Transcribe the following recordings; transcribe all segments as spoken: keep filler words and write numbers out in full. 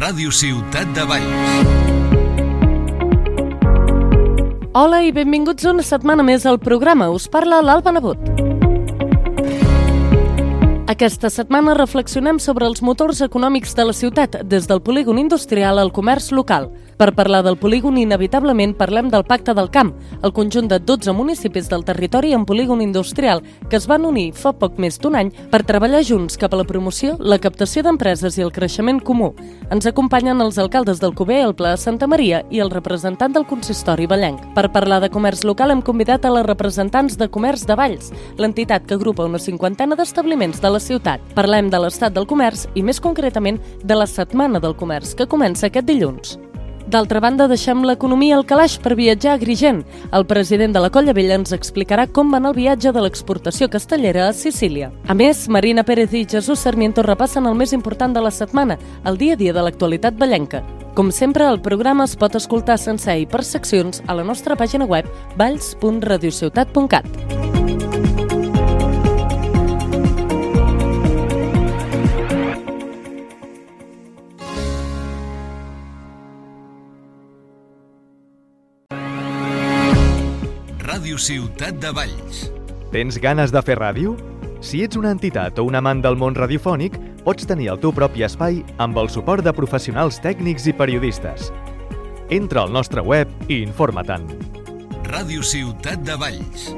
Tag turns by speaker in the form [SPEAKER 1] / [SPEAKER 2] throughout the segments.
[SPEAKER 1] Ràdio Ciutat de Valls.
[SPEAKER 2] Hola i benvinguts una setmana més al programa. Us parla l'Alba Nebot. Aquesta setmana reflexionem sobre els motors econòmics de la ciutat, des del polígon industrial al comerç local. Per parlar del polígon, inevitablement parlem del Pacte del Camp, el conjunt de dotze municipis del territori en polígon industrial, que es van unir fa poc més d'un any per treballar junts cap a la promoció, la captació d'empreses i el creixement comú. Ens acompanyen els alcaldes d'Alcover, el Pla de Santa Maria i el representant del consistori vallenc. Per parlar de comerç local hem convidat a les representants de Comerç de Valls, l'entitat que agrupa una cinquantena d'establiments de la ciutat. Parlem de l'estat del comerç i, més concretament, de la Setmana del Comerç, que comença aquest dilluns. D'altra banda, deixem l'economia al calaix per viatjar a Agrigent. El president de la Colla Vella ens explicarà com va anar el viatge de l'exportació castellera a Sicília. A més, Marina Pérez i Jesús Sarmiento repassen el més important de la setmana, el dia a dia de l'actualitat vallenca. Com sempre, el programa es pot escoltar sencer i per seccions a la nostra pàgina web valls punt radiociutat punt cat.
[SPEAKER 1] Ràdio Ciutat de Valls.
[SPEAKER 3] Tens ganes de fer ràdio? Si ets una entitat o un amant del món radiofònic, pots tenir el teu propi espai amb el suport de professionals tècnics i periodistes. Entra al nostre web i informa-te'n.
[SPEAKER 1] Ràdio Ciutat de Valls.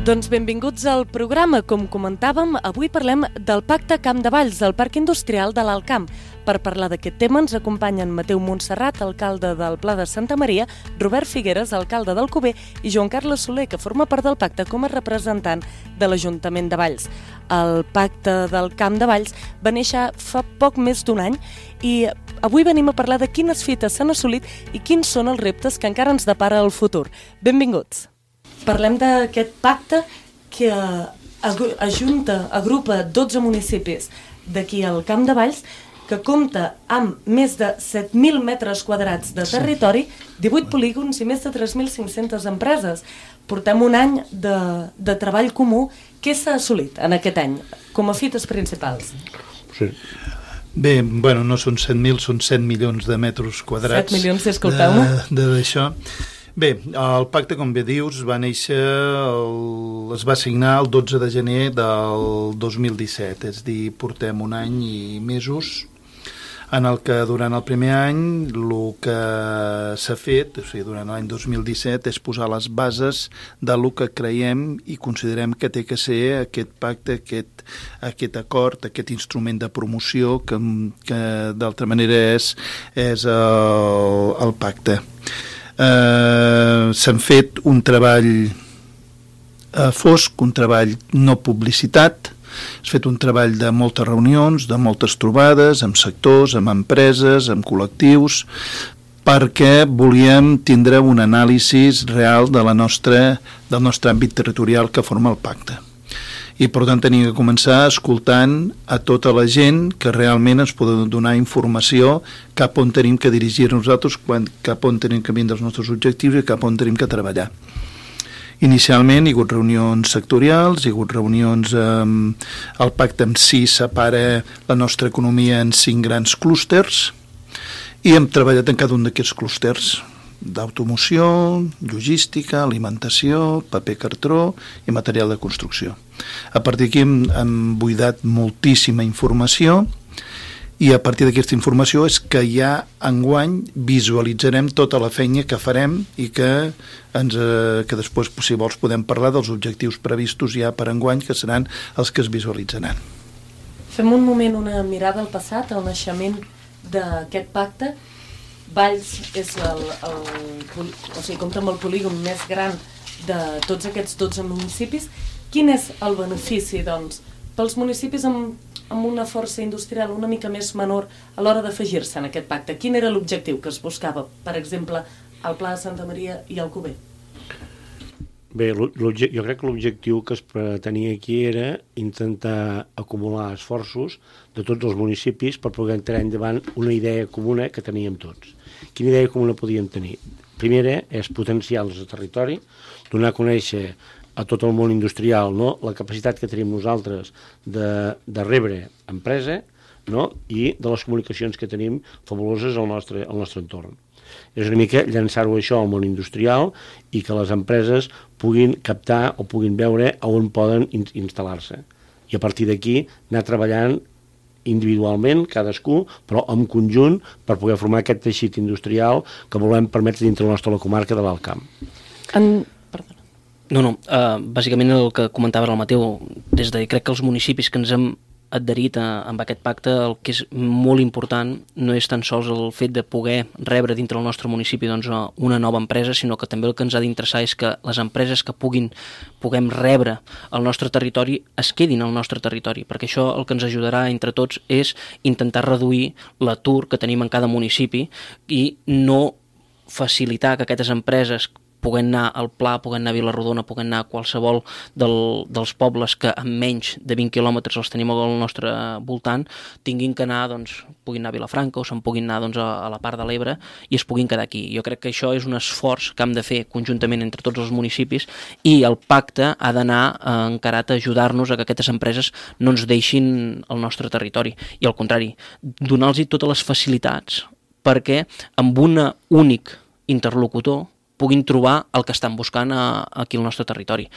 [SPEAKER 2] Doncs benvinguts al programa. Com comentàvem, avui parlem del Pacte Camp de Valls, del Parc Industrial de l'Alt Camp. Per parlar d'aquest tema ens acompanyen Mateu Montserrat, alcalde del Pla de Santa Maria, Robert Figueres, alcalde d'Alcover, i Joan Carles Soler, que forma part del pacte com a representant de l'Ajuntament de Valls. El Pacte del Camp de Valls va néixer fa poc més d'un any i avui venim a parlar de quines fites s'han assolit i quins són els reptes que encara ens depara el futur. Benvinguts. Parlem d'aquest pacte que ajunta, agrupa dotze municipis d'aquí al Camp de Valls, que compta amb més de set mil metres quadrats de territori, divuit polígons i més de tres mil cinc-centes empreses. Portem un any de, de treball comú. Què s'ha assolit en aquest any com a fites principals?
[SPEAKER 4] Sí. Bé, bueno, no són set mil, són set milions de metres quadrats.
[SPEAKER 2] set milions, disculpeu-me.
[SPEAKER 4] D'això. Bé, el pacte, com bé dius, va néixer, el, es va signar el dotze de gener del dos mil disset, és a dir, portem un any i mesos en el que durant el primer any el que s'ha fet, o sigui, durant l'any dos mil disset, és posar les bases del que creiem i considerem que té que ser aquest pacte, aquest, aquest acord, aquest instrument de promoció que, que d'altra manera és, és el, el pacte. Uh, s'han fet un treball uh, fosc, un treball no publicitat, s'ha fet un treball de moltes reunions, de moltes trobades, amb sectors, amb empreses, amb col·lectius, perquè volíem tindre un anàlisi real de la nostra, del nostre àmbit territorial que forma el pacte. I per tant tenim que començar escoltant a tota la gent que realment ens pot donar informació cap on tenim que dirigir nosaltres, quan, cap on tenim que vindre els nostres objectius i cap on tenim que treballar. Inicialment hi ha hagut reunions sectorials, hi ha hagut reunions, eh, el pacte en si separa la nostra economia en cinc grans clústers i hem treballat en cada un d'aquests clústers, d'automoció, logística, alimentació, paper cartró i material de construcció. A partir d'aquí hem, hem buidat moltíssima informació i a partir d'aquesta informació és que ja enguany visualitzarem tota la feina que farem i que, ens, eh, que després, si vols, podem parlar dels objectius previstos ja per enguany, que seran els que es visualitzaran.
[SPEAKER 2] Fem un moment una mirada al passat, al naixement d'aquest pacte. Valls és el, el, o sigui, compta amb el polígon més gran de tots aquests dotze municipis. Quin és el benefici, doncs, pels municipis amb, amb una força industrial una mica més menor a l'hora d'afegir-se en aquest pacte? Quin era l'objectiu que es buscava, per exemple, al Pla de Santa Maria i Alcover?
[SPEAKER 5] Bé, jo crec que l'objectiu que es pretenia aquí era intentar acumular esforços de tots els municipis per poder entrar endavant una idea comuna que teníem tots. Quina idea comuna podíem tenir? Primera és potenciar el territori, donar a conèixer a tot el món industrial, no?, la capacitat que tenim nosaltres de, de rebre empresa, no?, i de les comunicacions que tenim fabuloses al nostre, al nostre entorn. És una mica llançar-ho això al món industrial i que les empreses puguin captar o puguin veure on poden in- instal·lar-se. I a partir d'aquí anar treballant individualment, cadascú, però en conjunt per poder formar aquest teixit industrial que volem permetre dintre la nostra comarca de l'Alt Camp.
[SPEAKER 2] En... Perdona.
[SPEAKER 6] No, no, uh, bàsicament el que comentava el Mateu, des de crec que els municipis que ens hem adherit a, amb aquest pacte, el que és molt important no és tan sols el fet de poder rebre dintre del nostre municipi doncs, una nova empresa, sinó que també el que ens ha d'interessar és que les empreses que puguin puguem rebre al nostre territori es quedin al nostre territori, perquè això el que ens ajudarà entre tots és intentar reduir l'atur que tenim en cada municipi i no facilitar que aquestes empreses puguen anar al Pla, puguen anar a Vilarrodona, puguen anar a qualsevol del, dels pobles que amb menys de vint quilòmetres els tenim al nostre voltant, tinguin que anar, doncs, puguin anar a Vilafranca o se'n puguin anar doncs, a, a la part de l'Ebre i es puguin quedar aquí. Jo crec que això és un esforç que hem de fer conjuntament entre tots els municipis i el pacte ha d'anar eh, encarat a ajudar-nos a que aquestes empreses no ens deixin el nostre territori. I al contrari, donar-los totes les facilitats perquè amb un únic interlocutor puguin trobar el que estan buscant a, aquí al nostre territori.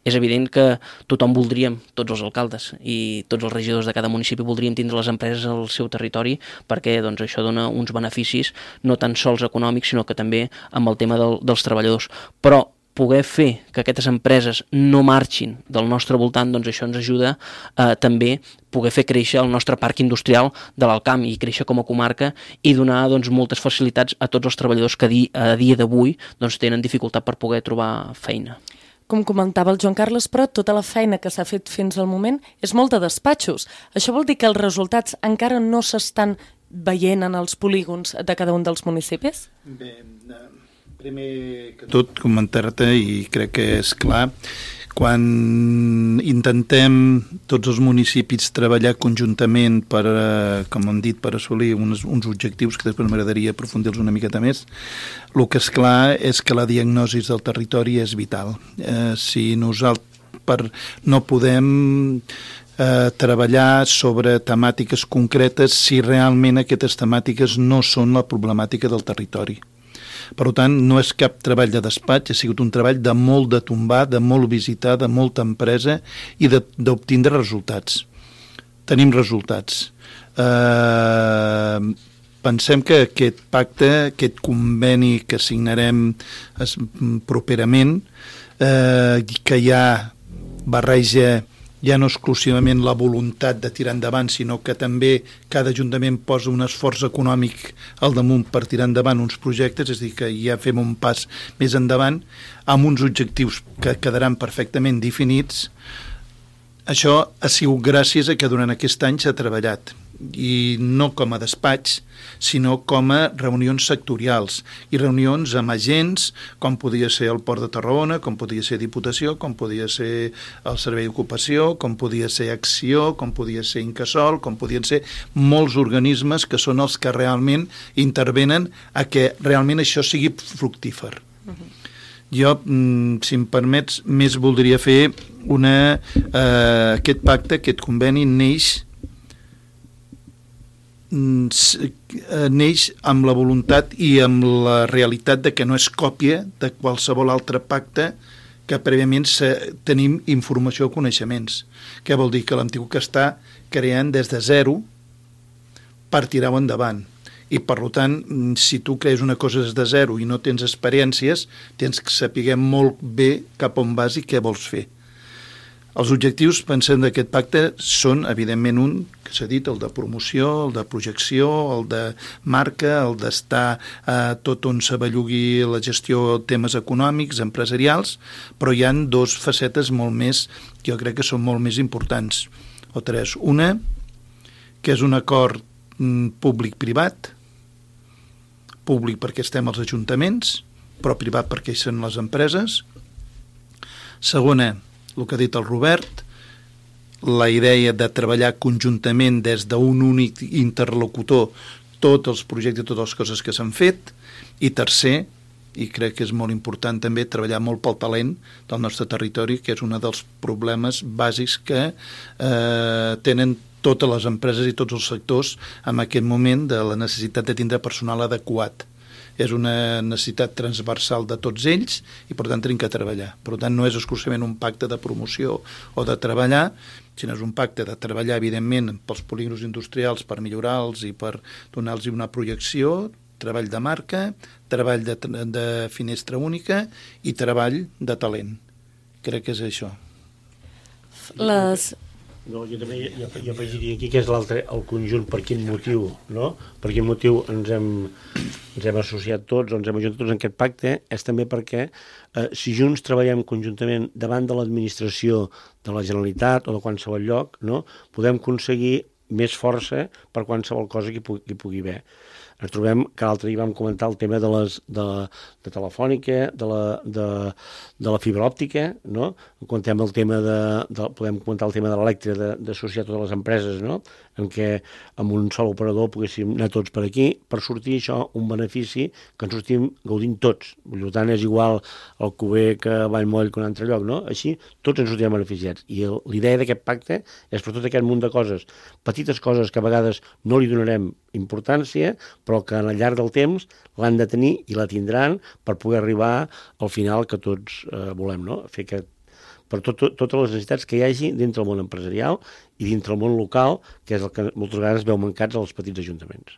[SPEAKER 6] És evident que tothom voldríem, tots els alcaldes i tots els regidors de cada municipi voldrien tindre les empreses al seu territori perquè doncs, això dona uns beneficis no tan sols econòmics, sinó que també amb el tema del, dels treballadors. Però poder fer que aquestes empreses no marxin del nostre voltant, doncs això ens ajuda a també poder fer créixer el nostre parc industrial de l'Alt Camp i créixer com a comarca i donar doncs, moltes facilitats a tots els treballadors que di, a dia d'avui doncs, tenen dificultat per poder trobar feina.
[SPEAKER 2] Com comentava el Joan Carles, però tota la feina que s'ha fet fins al moment és molt de despatxos. Això vol dir que els resultats encara no s'estan veient en els polígons de cada un dels municipis?
[SPEAKER 4] Bé, primer que tot comentar-te, i crec que és clar, quan intentem tots els municipis treballar conjuntament per, com hem dit, per assolir uns, uns objectius que després m'agradaria aprofundir-los una miqueta més, el que és clar és que la diagnosi del territori és vital. Eh, si nosaltres per, no podem eh, treballar sobre temàtiques concretes si realment aquestes temàtiques no són la problemàtica del territori. Per tant, no és cap treball de despatx, ha sigut un treball de molt de tombar, de molt visitar, de molta empresa i d'obtindre resultats. Tenim resultats. Eh, pensem que aquest pacte, aquest conveni que signarem es, properament, eh, que ja barreja ja no exclusivament la voluntat de tirar endavant, sinó que també cada ajuntament posa un esforç econòmic al damunt per tirar endavant uns projectes, és a dir, que ja fem un pas més endavant, amb uns objectius que quedaran perfectament definits. Això ha sigut gràcies a que durant aquest any s'ha treballat, i no com a despatx, sinó com a reunions sectorials i reunions amb agents, com podia ser el Port de Tarragona, com podia ser Diputació, com podia ser el Servei d'Ocupació, com podia ser Acció, com podia ser Incasòl, com podien ser molts organismes que són els que realment intervenen a que realment això sigui fructífer. Uh-huh. Jo, si em permets, més voldria fer una, eh, aquest pacte, aquest conveni neix neix amb la voluntat i amb la realitat de que no és còpia de qualsevol altre pacte que prèviament tenim informació o coneixements. Què vol dir? Que l'Antic que està creant des de zero per tirar-ho endavant. I, per tant, si tu crees una cosa des de zero i no tens experiències, tens que saber molt bé cap on vas i què vols fer. Els objectius, pensem, d'aquest pacte són, evidentment, un, que s'ha dit, el de promoció, el de projecció, el de marca, el d'estar eh, tot on s'avellugui la gestió de temes econòmics, empresarials, però hi ha dos facetes molt més, que jo crec que són molt més importants, o tres. Una, que és un acord mm, públic-privat, públic perquè estem als ajuntaments, però privat perquè hi són les empreses. Segona, el que ha dit el Robert, la idea de treballar conjuntament des d'un únic interlocutor tots els projectes, totes les coses que s'han fet. I tercer, i crec que és molt important també treballar molt pel talent del nostre territori, que és un dels problemes bàsics que eh, tenen totes les empreses i tots els sectors en aquest moment, de la necessitat de tindre personal adequat. És una necessitat transversal de tots ells i per tant tenim que treballar. Per tant, no és exclusivament un pacte de promoció o de treballar, sinó és un pacte de treballar, evidentment, pels polígons industrials per millorar-los i per donar-los una projecció, treball de marca, treball de, de finestra única i treball de talent. Crec que és això.
[SPEAKER 2] Les...
[SPEAKER 5] No, jo també jo, jo afegiria aquí que és l'altre, el conjunt, per quin motiu, no? Per quin motiu ens hem, ens hem associat tots, o ens hem ajuntat tots en aquest pacte, és també perquè eh, si junts treballem conjuntament davant de l'administració de la Generalitat o de qualsevol lloc, no? Podem aconseguir més força per qualsevol cosa que hi pugui, que hi pugui haver. Ens trobem que l'altre dia vam comentar el tema de les de, de telefònica, de la, de, de la fibra òptica, no? Contem el tema de, de, podem comentar el tema de l'elèctrica, de, d'associar totes les empreses, no? En què amb un sol operador poguéssim anar tots per aquí, per sortir això un benefici que ens sortim gaudint tots. Per tant, és igual el Cuber que Vallmoll que un altre lloc, no? Així tots ens sortirem beneficiats. I el, l'idea d'aquest pacte és per tot aquest munt de coses, petites coses que a vegades no li donarem importància, però que al llarg del temps l'han de tenir i la tindran per poder arribar al final que tots eh, volem, no? Fer que per tot, tot, totes les necessitats que hi hagi dintre el món empresarial i dintre el món local, que és el que moltes vegades veu mancats als petits ajuntaments.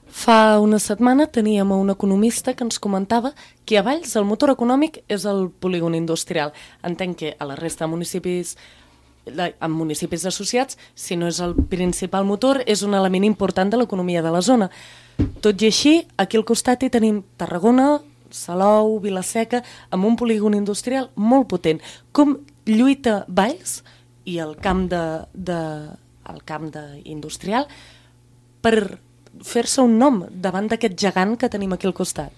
[SPEAKER 2] Fa una setmana teníem un economista que ens comentava que a Valls el motor econòmic és el polígon industrial. Entenc que a la resta de municipis, en municipis associats, si no és el principal motor, és un element important de l'economia de la zona. Tot i així, aquí al costat hi tenim Tarragona, Salou, Vila-seca, amb un polígon industrial molt potent. Com lluita Valls i el camp de, de, el camp de industrial per fer-se un nom davant d'aquest gegant que tenim aquí al costat?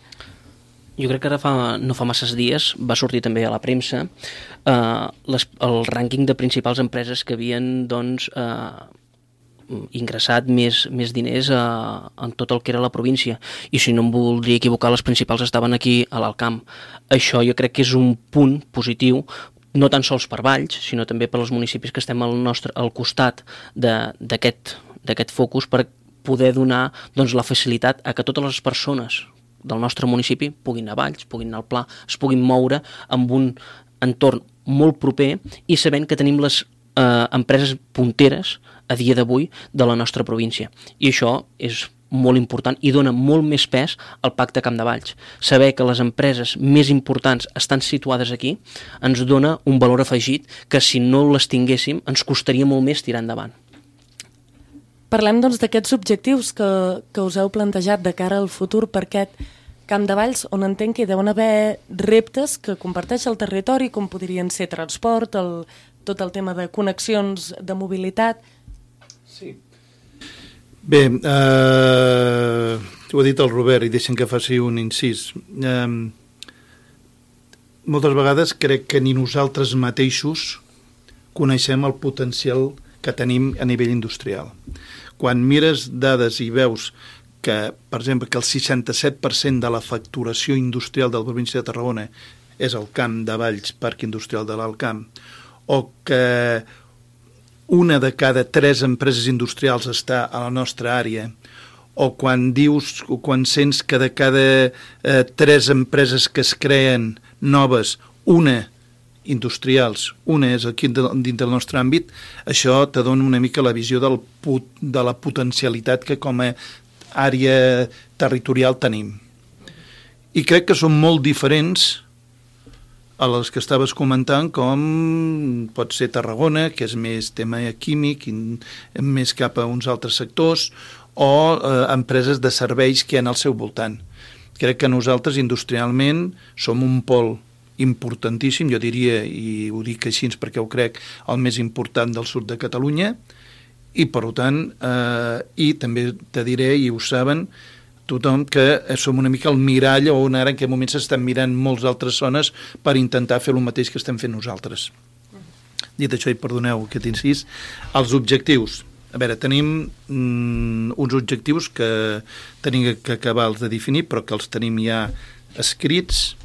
[SPEAKER 6] Jo crec que ara fa, no fa masses dies va sortir també a la premsa eh, les, el rànquing de principals empreses que havien doncs, eh, ingressat més, més diners a, en tot el que era la província, i si no em voldria equivocar, les principals estaven aquí a l'Alt Camp. Això jo crec que és un punt positiu, no tan sols per Valls, sinó també per als municipis que estem al, nostre, al costat d'aquest d'aquest focus, per poder donar doncs, la facilitat a que totes les persones del nostre municipi puguin anar a Valls, puguin anar al Pla, es puguin moure amb un entorn molt proper i sabent que tenim les eh, empreses punteres a dia d'avui de la nostra província. I això és molt important i dona molt més pes al Pacte Camp de Valls. Saber que les empreses més importants estan situades aquí ens dona un valor afegit que si no les tinguéssim ens costaria molt més tirar endavant.
[SPEAKER 2] Parlem doncs d'aquests objectius que, que us heu plantejat de cara al futur per aquest Camp de Valls, on entenc que deuen haver reptes que comparteix el territori, com podrien ser transport, el, tot el tema de connexions de mobilitat.
[SPEAKER 4] Sí. Bé, eh, ho ha dit el Robert i deixen que faci un incís. Eh, moltes vegades crec que ni nosaltres mateixos coneixem el potencial que tenim a nivell industrial. Quan mires dades i veus que, per exemple, que el seixanta-set per cent de la facturació industrial de la província de Tarragona és el Camp de Valls, Parc Industrial de l'Alt Camp, o que una de cada tres empreses industrials està a la nostra àrea, o quan dius, o quan sents que de cada eh, tres empreses que es creen noves, una industrials, una és aquí dins del nostre àmbit, això te dona una mica la visió del put, de la potencialitat que com a àrea territorial tenim. I crec que són molt diferents a les que estaves comentant, com pot ser Tarragona, que és més tema químic, més cap a uns altres sectors, o eh, empreses de serveis que hi ha al seu voltant. Crec que nosaltres industrialment som un pol importantíssim, jo diria, i ho dic així perquè ho crec, el més important del sud de Catalunya, i per tant, eh, i també te diré, i ho saben, tothom que som una mica el mirall on ara en aquest moment s'estan mirant moltes altres zones per intentar fer el mateix que estem fent nosaltres. Dit això, i perdoneu aquest incís, els objectius. A veure, tenim mm, uns objectius que tenim que acabar-los de definir, però que els tenim ja escrits.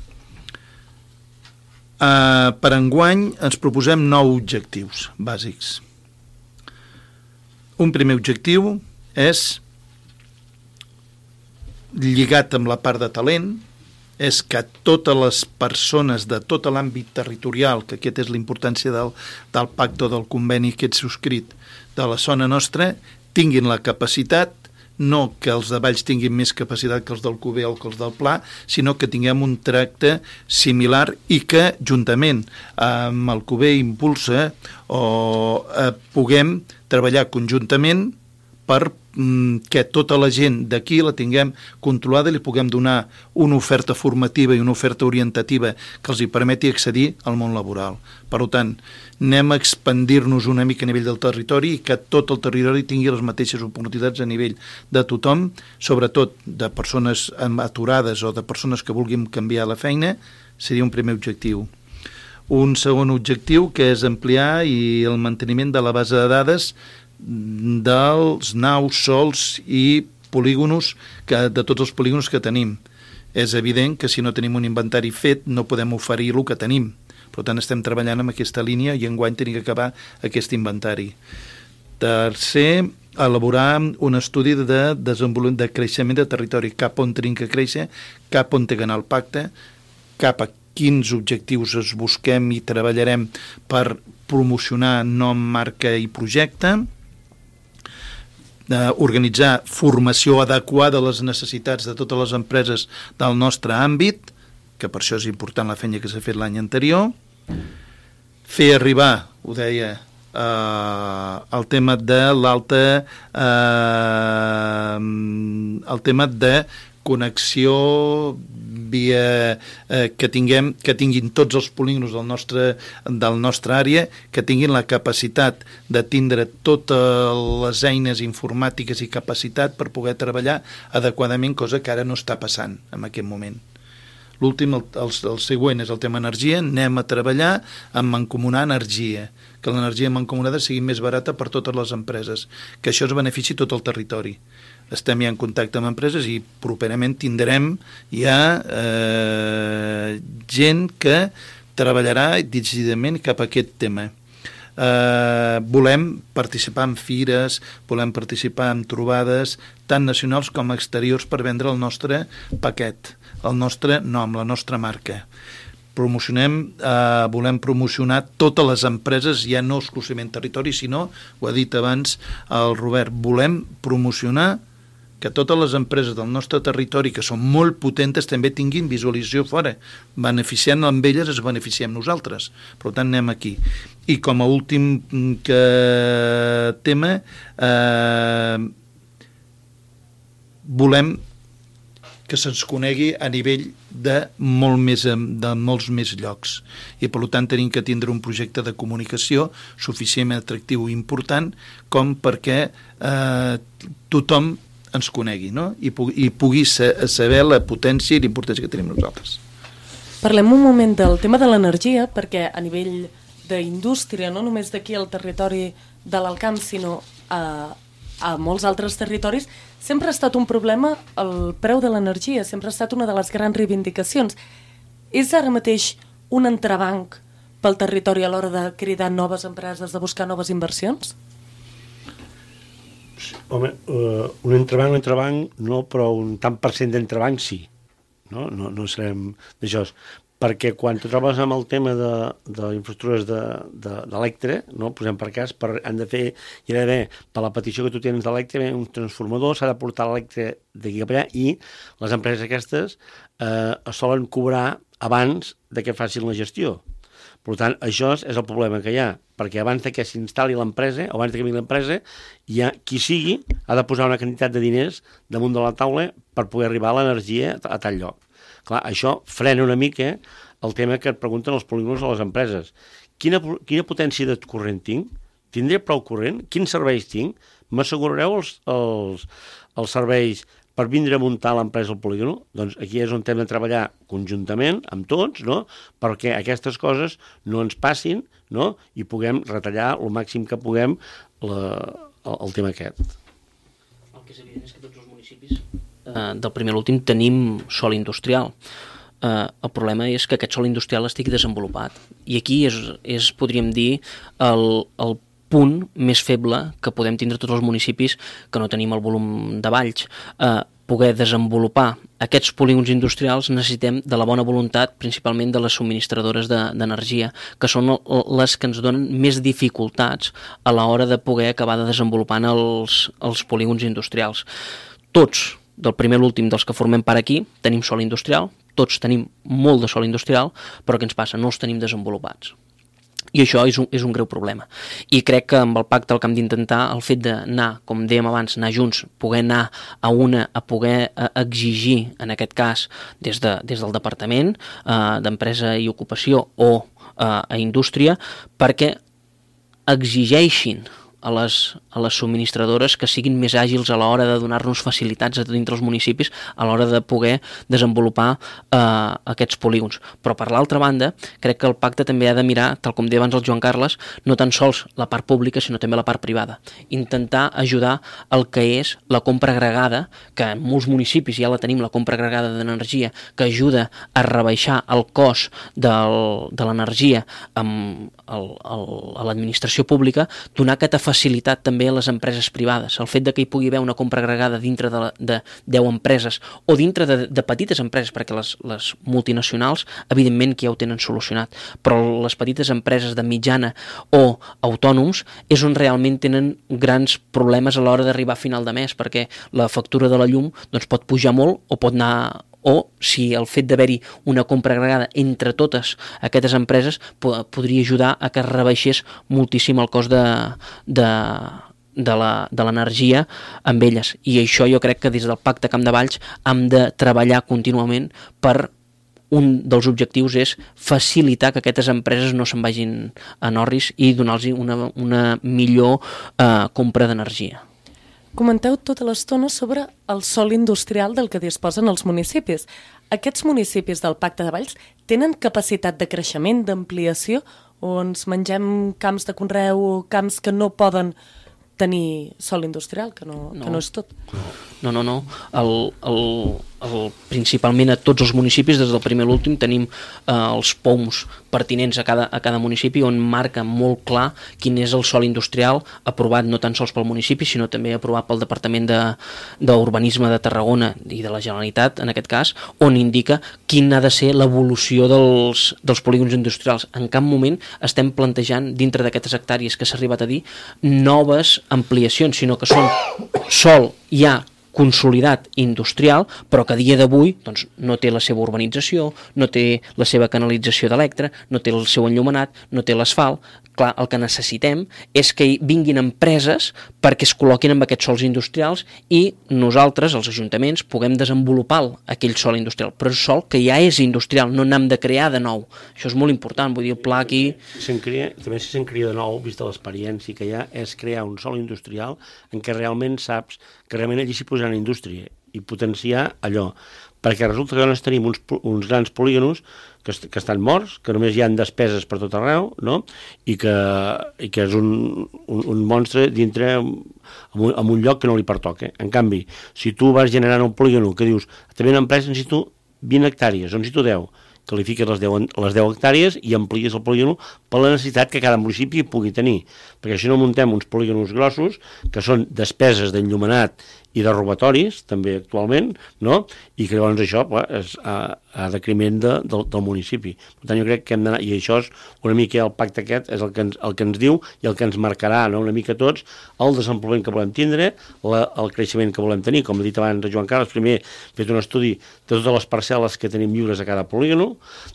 [SPEAKER 4] Uh, per enguany ens proposem nou objectius bàsics. Un primer objectiu és lligat amb la part de talent, és que totes les persones de tot l'àmbit territorial, que aquesta és la importància del, del pacte o del conveni que és subscrit de la zona nostra, tinguin la capacitat, no que els de Valls tinguin més capacitat que els del Cuber o que els del Pla, sinó que tinguem un tracte similar i que juntament amb el Cuber Impulsa o eh, puguem treballar conjuntament per que tota la gent d'aquí la tinguem controlada i li puguem donar una oferta formativa i una oferta orientativa que els hi permeti accedir al món laboral. Per tant, anem a expandir-nos una mica a nivell del territori i que tot el territori tingui les mateixes oportunitats a nivell de tothom, sobretot de persones aturades o de persones que vulguin canviar la feina, seria un primer objectiu. Un segon objectiu que és ampliar i el manteniment de la base de dades dels naus, sols i polígonos, que, de tots els polígonos que tenim. És evident que si no tenim un inventari fet no podem oferir el que tenim. Per tant, estem treballant en aquesta línia i enguany tenim que acabar aquest inventari. Tercer, elaborar un estudi de desenvolupament de creixement de territori, cap on tenim que créixer, cap on té que anar el pacte, cap a quins objectius es busquem i treballarem per promocionar nom, marca i projecte, eh, organitzar formació adequada a les necessitats de totes les empreses del nostre àmbit, que per això és important la feina que s'ha fet l'any anterior, fer arribar, ho deia, eh, el tema de l'alta eh, el tema de connexió via eh, que tinguem que tinguin tots els polígonos del nostre, del nostre àrea, que tinguin la capacitat de tindre totes les eines informàtiques i capacitat per poder treballar adequadament, cosa que ara no està passant en aquest moment. L'últim, el, el, el següent és el tema energia. Anem a treballar en mancomunar energia, que l'energia mancomunada sigui més barata per totes les empreses, que això es benefici tot el territori. Estem ja en contacte amb empreses i properament tindrem ja eh, gent que treballarà decididament cap a aquest tema. Eh, volem participar en fires, volem participar en trobades tant nacionals com exteriors per vendre el nostre paquet, el nostre nom, la nostra marca. Promocionem, eh, volem promocionar totes les empreses, ja no exclusivament territori, sinó, ho ha dit abans el Robert, volem promocionar que totes les empreses del nostre territori, que són molt potentes, també tinguin visualització fora. Beneficiant amb elles es beneficiem nosaltres. Per tant, anem aquí. I com a últim que tema, eh, volem que se'ns conegui a nivell de, molt més, de molts més llocs. I, per tant, tenim que tindre un projecte de comunicació suficientment atractiu i important com perquè eh, tothom ens conegui, no? I, pu i pugui saber la potència i l'importància que tenim nosaltres.
[SPEAKER 2] Parlem un moment del tema de l'energia, perquè a nivell d'indústria, no només d'aquí al territori de l'Alt Camp, sinó a, a molts altres territoris, sempre ha estat un problema el preu de l'energia, sempre ha estat una de les grans reivindicacions. És ara mateix un entrebanc pel territori a l'hora de cridar noves empreses, de buscar noves inversions?
[SPEAKER 5] Home, uh, un entrebanc, un entrebanc no, però un tant per cent d'entrebanc sí, no, no, no serem d'això, perquè quan tu trobes amb el tema de, de infraestructures d'Electre, de, de no, posem per cas, per, han de fer, hi ha d'haver, per la petició que tu tens d'Electre, un transformador, s'ha de portar l'Electre d'aquí cap allà, i les empreses aquestes eh, es solen cobrar abans de que facin la gestió. Per tant, això és el problema que hi ha, perquè abans de que s'instal·li l'empresa, o abans de que vingui l'empresa, ja qui sigui ha de posar una quantitat de diners damunt de la taula per poder arribar a l'energia a tal lloc. Clar, això frena una mica el tema que et pregunten els polígonos a les empreses. Quina, quina potència de corrent tinc? Tindré prou corrent? Quins serveis tinc? M'assegurareu els, els, els serveis per vindre a muntar l'empresa al polígon. Doncs aquí és on hem de treballar conjuntament amb tots, no?, perquè aquestes coses no ens passin, no?, i puguem retallar el màxim que puguem la, el, el tema aquest.
[SPEAKER 6] El que és evident és que tots els municipis eh, del primer a l'últim tenim sòl industrial. Uh, el problema és que aquest sòl industrial estigui desenvolupat. I aquí és, és podríem dir, el, el punt més feble que podem tindre tots els municipis que no tenim el volum de valls. Uh, poder desenvolupar aquests polígons industrials necessitem de la bona voluntat, principalment de les subministradores d'energia, de, que són les que ens donen més dificultats a l'hora de poder acabar de desenvolupar els, els polígons industrials. Tots, del primer a l'últim dels que formem part aquí, tenim sòl industrial, tots tenim molt de sòl industrial, però què ens passa? No els tenim desenvolupats. I això és un, és un greu problema. I crec que amb el pacte el que hem d'intentar, el fet d'anar, com dèiem abans, anar junts, poder anar a una, a poder a exigir, en aquest cas, des, de, des del Departament eh, d'Empresa i Ocupació o eh, a Indústria, perquè exigeixin a les, a les subministradores que siguin més àgils a l'hora de donar-nos facilitats a dintre els municipis a l'hora de poder desenvolupar eh, aquests polígons. Però per l'altra banda, crec que el pacte també ha de mirar, tal com deia abans el Joan Carles, no tan sols la part pública, sinó també la part privada. Intentar ajudar el que és la compra agregada, que en molts municipis ja la tenim, la compra agregada d'energia, que ajuda a rebaixar el cost del, de l'energia amb el, el, a l'administració pública, donar aquesta facilitat també a les empreses privades. El fet de que hi pugui haver una compra agregada dintre de, de deu empreses o dintre de, de petites empreses, perquè les, les multinacionals evidentment que ja ho tenen solucionat, però les petites empreses de mitjana o autònoms és on realment tenen grans problemes a l'hora d'arribar a final de mes, perquè la factura de la llum doncs, pot pujar molt o pot anar, o si el fet d'haver-hi una compra agregada entre totes aquestes empreses podria ajudar a que es rebaixés moltíssim el cost de, de, de l'energia amb elles. I això jo crec que des del Pacte Camp de Valls hem de treballar contínuament per un dels objectius és facilitar que aquestes empreses no se'n vagin a Norris i donar-los una, una millor eh, compra d'energia.
[SPEAKER 2] Comenteu tota l'estona sobre el sòl industrial del que disposen els municipis. Aquests municipis del Pacte de Valls tenen capacitat de creixement, d'ampliació, o ens mengem camps de conreu o camps que no poden tenir sòl industrial, que no, no. que no és tot?
[SPEAKER 6] No, no, no. El, el, el, principalment a tots els municipis, des del primer a l'últim, tenim eh, els P O Ms pertinents a cada, a cada municipi on marca molt clar quin és el sòl industrial aprovat no tan sols pel municipi, sinó també aprovat pel Departament d'Urbanisme de, de Tarragona i de la Generalitat, en aquest cas, on indica quina ha de ser l'evolució dels, dels polígons industrials. En cap moment estem plantejant, dintre d'aquestes hectàrees que s'ha arribat a dir, noves ampliacions, sinó que són sòl ja consolidat industrial, però que a dia d'avui doncs, no té la seva urbanització, no té la seva canalització d'electre, no té el seu enllumenat, no té l'asfalt. Clar, el que necessitem és que hi vinguin empreses perquè es col·loquin amb aquests sòls industrials i nosaltres, els ajuntaments, puguem desenvolupar aquell sòl industrial, però és sòl que ja és industrial, no n'hem de crear de nou. Això és molt important, vull dir, el pla aquí...
[SPEAKER 5] Se'n crea, també si se'n crea de nou, vista l'experiència que hi ha, és crear un sòl industrial en què realment saps que realment allí s'hi posaran indústria i potenciar allò, perquè resulta que llavors tenim uns, uns grans polígonos que, est que estan morts, que només hi ha despeses per tot arreu, no? I, que, i que és un, un, un monstre dintre en un, en un lloc que no li pertoca. En canvi, si tu vas generant un polígono que dius, també una empresa necessito vint hectàrees, o necessito deu, qualifiques les deu, les deu hectàrees i amplies el polígono per la necessitat que cada municipi pugui tenir, perquè si no muntem uns polígonos grossos que són despeses d'enllumenat i de robatoris, també actualment, no? I que llavors això clar, és a, a decriment de, del, del municipi. Per tant, jo crec que hem d'anar, i això és una mica el pacte aquest, és el que ens, el que ens diu i el que ens marcarà, no? Una mica tots, el desenvolupament que volem tindre, la, el creixement que volem tenir. Com ha dit abans Joan Carles, primer hem fet un estudi de totes les parcel·les que tenim lliures a cada polígono,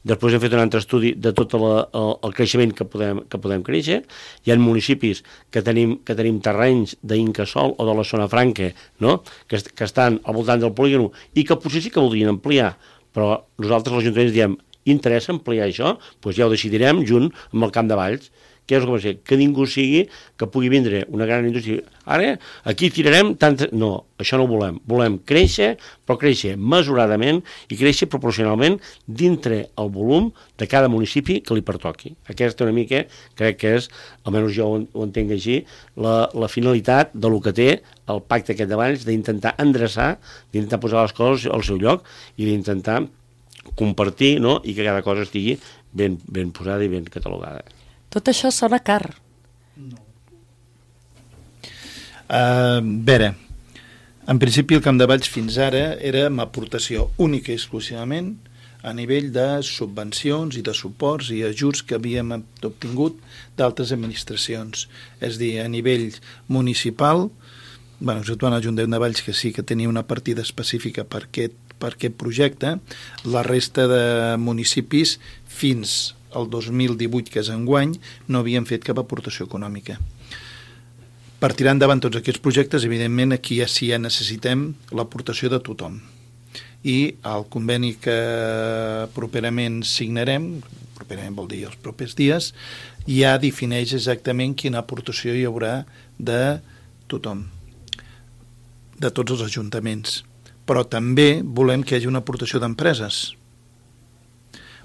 [SPEAKER 5] després hem fet un altre estudi de tot la, el, el creixement que podem, que podem créixer. Hi ha municipis que tenim, que tenim terrenys d'incasòl o de la zona franca, no? Que, est que estan al voltant del polígono i que potser sí que voldrien ampliar, però nosaltres els ajuntaments diem, interessa ampliar això? Doncs ja ho decidirem junt amb el Camp de Valls, què és el que va ser? Que ningú sigui que pugui vindre una gran indústria. Ara, aquí tirarem tant... No, això no ho volem. Volem créixer, però créixer mesuradament i créixer proporcionalment dintre el volum de cada municipi que li pertoqui. Aquesta una mica, crec que és, almenys jo ho entenc així, la, la finalitat de lo que té el pacte aquest de Valls, d'intentar endreçar, d'intentar posar les coses al seu lloc i d'intentar compartir, no?, i que cada cosa estigui ben, ben posada i ben catalogada.
[SPEAKER 2] Tot això sona car.
[SPEAKER 4] No. Uh, veure, en principi el Camp de Valls fins ara era amb aportació única i exclusivament a nivell de subvencions i de suports i ajuts que havíem obtingut d'altres administracions. És a dir, a nivell municipal, bueno, exceptuant el Ajuntament de Valls, que sí que tenia una partida específica per aquest, per aquest projecte, la resta de municipis fins el dos mil divuit, que és enguany, no havien fet cap aportació econòmica. Per tirar endavant tots aquests projectes, evidentment, aquí ja sí ja necessitem l'aportació de tothom. I el conveni que properament signarem, properament vol dir els propers dies, ja defineix exactament quina aportació hi haurà de tothom, de tots els ajuntaments. Però també volem que hi hagi una aportació d'empreses.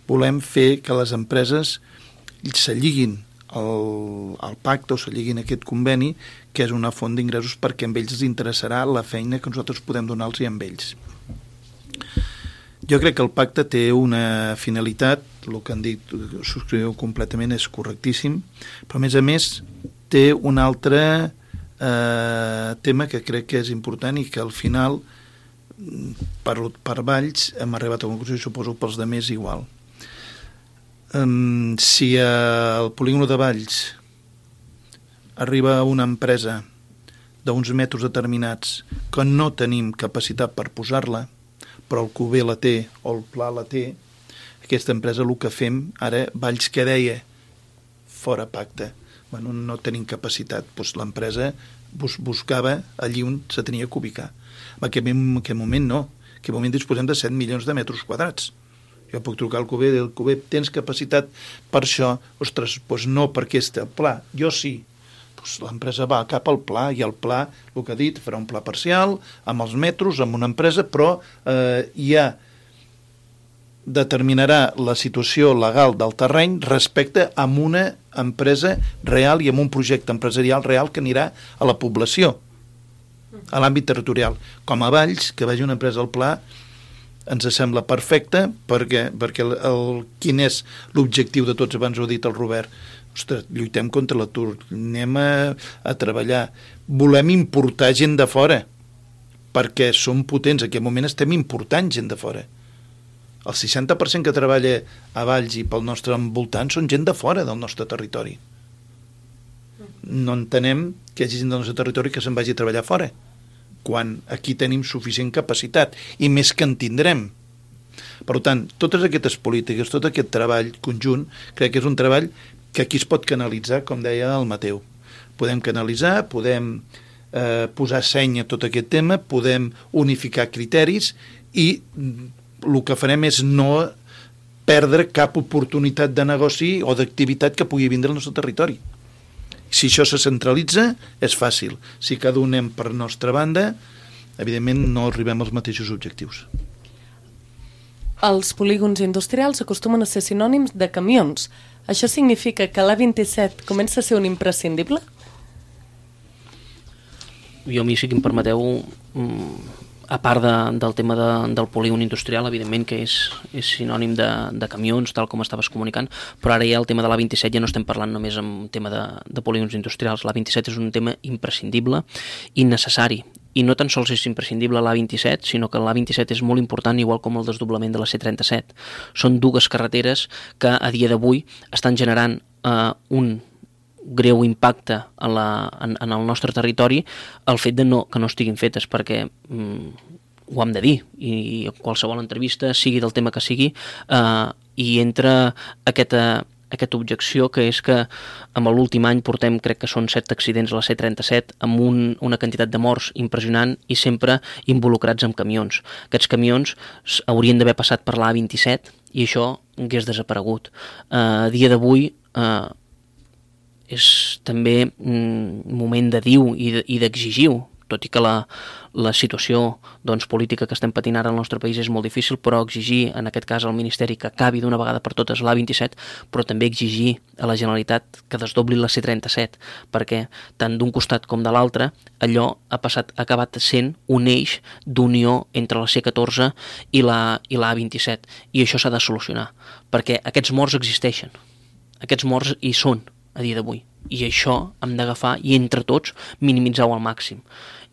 [SPEAKER 4] Volem fer que les empreses se lliguin al, al pacte o se lliguin a aquest conveni, que és una font d'ingressos perquè a ells els interessarà la feina que nosaltres podem donar-los i amb ells. Jo crec que el pacte té una finalitat, el que han dit, subscriu completament, és correctíssim, però a més a més té un altre eh, tema que crec que és important i que al final per, per Valls hem arribat a una conclusió i suposo pels demés igual. Um, si al polígon de Valls arriba una empresa d'uns metres determinats que no tenim capacitat per posar-la, però el Q B la té o el Pla la té, aquesta empresa el que fem ara, Valls que deia fora pacte, bueno, no tenim capacitat, doncs l'empresa bus buscava allí on se tenia que ubicar. En aquest, en aquest moment no, en aquest moment disposem de set milions de metres quadrats. Jo puc trucar al Q B, del Q B, tens capacitat per això? Ostres, doncs no, perquè este pla, jo sí. Doncs l'empresa va cap al pla, i el pla, el que ha dit, farà un pla parcial, amb els metros, amb una empresa, però eh, ja determinarà la situació legal del terreny respecte a una empresa real i amb un projecte empresarial real que anirà a la població, a l'àmbit territorial. Com a Valls, que vagi una empresa al pla, ens sembla perfecte, perquè, perquè el, el, quin és l'objectiu de tots, abans ho ha dit el Robert. Ostres, lluitem contra l'atur, anem a, a treballar, volem importar gent de fora, perquè som potents, en aquest moment estem important gent de fora. El seixanta per cent que treballa a Valls i pel nostre envoltant són gent de fora del nostre territori. No entenem que hi hagi gent del nostre territori que se'n vagi a treballar fora, quan aquí tenim suficient capacitat, i més que en tindrem. Per tant, totes aquestes polítiques, tot aquest treball conjunt, crec que és un treball que aquí es pot canalitzar, com deia el Mateu. Podem canalitzar, podem eh, posar seny a tot aquest tema, podem unificar criteris i el que farem és no perdre cap oportunitat de negoci o d'activitat que pugui vindre al nostre territori. Si això se centralitza, és fàcil. Si cada un anem per nostra banda, evidentment no arribem als mateixos objectius.
[SPEAKER 2] Els polígons industrials acostumen a ser sinònims de camions. Això significa que l'A vint-i-set comença a ser un imprescindible?
[SPEAKER 6] Jo a mi, si em permeteu, a part de, del tema de, del polígon industrial, evidentment que és, és sinònim de, de camions, tal com estaves comunicant, però ara ja el tema de l'A vint-i-set ja no estem parlant només en tema de, de polígons industrials. L'A vint-i-set és un tema imprescindible i necessari. I no tan sols és imprescindible l'A vint-i-set, sinó que l'A vint-i-set és molt important, igual com el desdoblament de la C trenta-set. Són dues carreteres que a dia d'avui estan generant eh, un greu impacte a la, en, en el nostre territori, el fet de no, que no estiguin fetes, perquè mm, ho hem de dir, i, i qualsevol entrevista, sigui del tema que sigui, eh, i entra aquesta, aquesta objecció, que és que en l'últim any portem, crec que són set accidents a la C trenta-set, amb un, una quantitat de morts impressionant i sempre involucrats amb camions. Aquests camions haurien d'haver passat per l'A vint-i-set i això hagués desaparegut. Eh, a dia d'avui, eh, és també mm, moment de dir-ho i d'exigir-ho, tot i que la, la situació doncs, política que estem patint ara al nostre país és molt difícil, però exigir, en aquest cas, al Ministeri que acabi d'una vegada per totes l'A vint-i-set, però també exigir a la Generalitat que desdobli la C trenta-set, perquè tant d'un costat com de l'altre, allò ha, passat, ha acabat sent un eix d'unió entre la C catorze i la, i la A vint-i-set, i això s'ha de solucionar, perquè aquests morts existeixen, aquests morts hi són a dia d'avui, i això hem d'agafar i entre tots minimitzar-ho al màxim.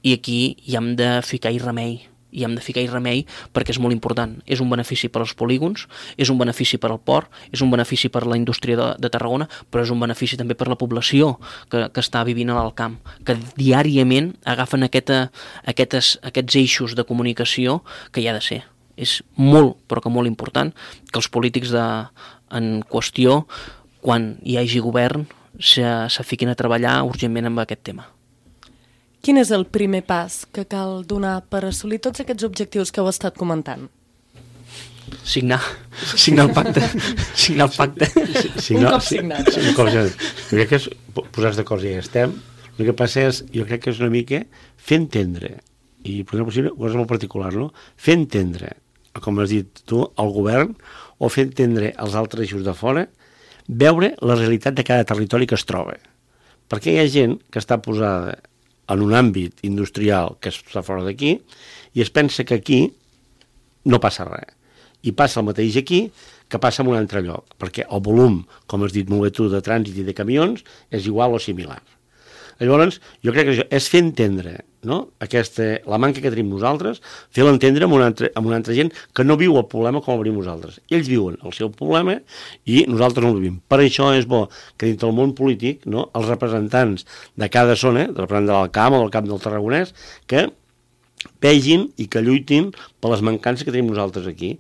[SPEAKER 6] I aquí hi hem de ficar-hi remei, i hem de ficar-hi remei perquè és molt important. És un benefici per als polígons, és un benefici per al port, és un benefici per a la indústria de, de Tarragona, però és un benefici també per a la població que, que està vivint al camp, que diàriament agafen aquesta, aquestes, aquests eixos de comunicació que hi ha de ser. És molt, però que molt important que els polítics de, en qüestió, quan hi hagi govern, se, se fiquin a treballar urgentment amb aquest tema.
[SPEAKER 2] Quin és el primer pas que cal donar per assolir tots aquests objectius que heu estat comentant?
[SPEAKER 6] Signar. Signar el pacte. Signar el pacte.
[SPEAKER 2] Signar, un cop signat.
[SPEAKER 5] Sí, un cop signat. Jo crec que és posar-se d'acord i ja estem. El que passa és, jo crec que és una mica fer entendre, i per exemple, una cosa molt particular, no? Fer entendre, com has dit tu, al govern, o fer entendre als altres eixos de fora, veure la realitat de cada territori que es troba. Perquè hi ha gent que està posada en un àmbit industrial que està fora d'aquí i es pensa que aquí no passa res. I passa el mateix aquí que passa en un altre lloc, perquè el volum, com has dit molt bé tu, de trànsit i de camions és igual o similar. Llavors, jo crec que això és fer entendre, no? Aquesta, la manca que tenim nosaltres, fer-la entendre amb una, altra, amb una altra gent que no viu el problema com el vivim nosaltres. Ells viuen el seu problema i nosaltres no el vivim. Per això és bo que dintre del món polític, no, els representants de cada zona, del representant del Camp o del Camp del Tarragonès, que vegin i que lluitin per les mancances que tenim nosaltres aquí.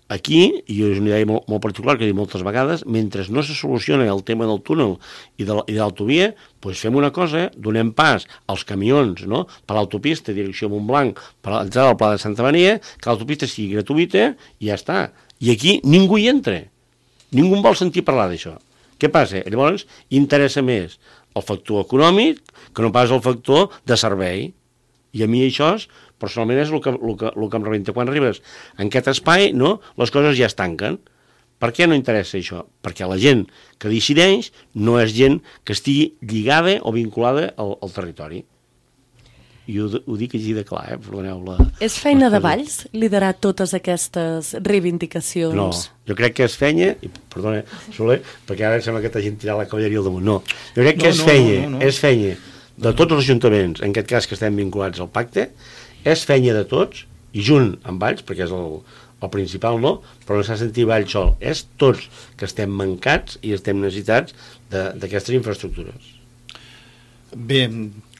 [SPEAKER 5] Aquí, i és una idea molt, molt particular que he dit moltes vegades, mentre no se soluciona el tema del túnel i de l'autovia, doncs fem una cosa, donem pas als camions, no? Per l'autopista, direcció Montblanc, per l'entrada al Pla de Santa Maria, que l'autopista sigui gratuïta i ja està. I aquí ningú hi entra. Ningú vol sentir parlar d'això. Què passa? Llavors, interessa més el factor econòmic que no pas el factor de servei. I a mi això és, personalment és el que, el que, el que em rebenta. Quan arribes en aquest espai, no, les coses ja es tanquen. Per què no interessa això? Perquè la gent que decideix no és gent que estigui lligada o vinculada al, al territori. I ho, ho dic així de clar, eh? Perdoneu la...
[SPEAKER 2] És feina de Valls liderar totes aquestes reivindicacions?
[SPEAKER 5] No, jo crec que és feina, i perdona, Soler, perquè ara sembla que t'hagin tirat la cavalleria al damunt. No, jo crec que no, és no, feina, no, no, no. és feina de tots els ajuntaments, en aquest cas que estem vinculats al pacte, és feina de tots, i junt amb Valls, perquè és el, el principal, no, però no s'ha sentit Valls sol, és tots que estem mancats i estem necessitats d'aquestes infraestructures.
[SPEAKER 4] Bé,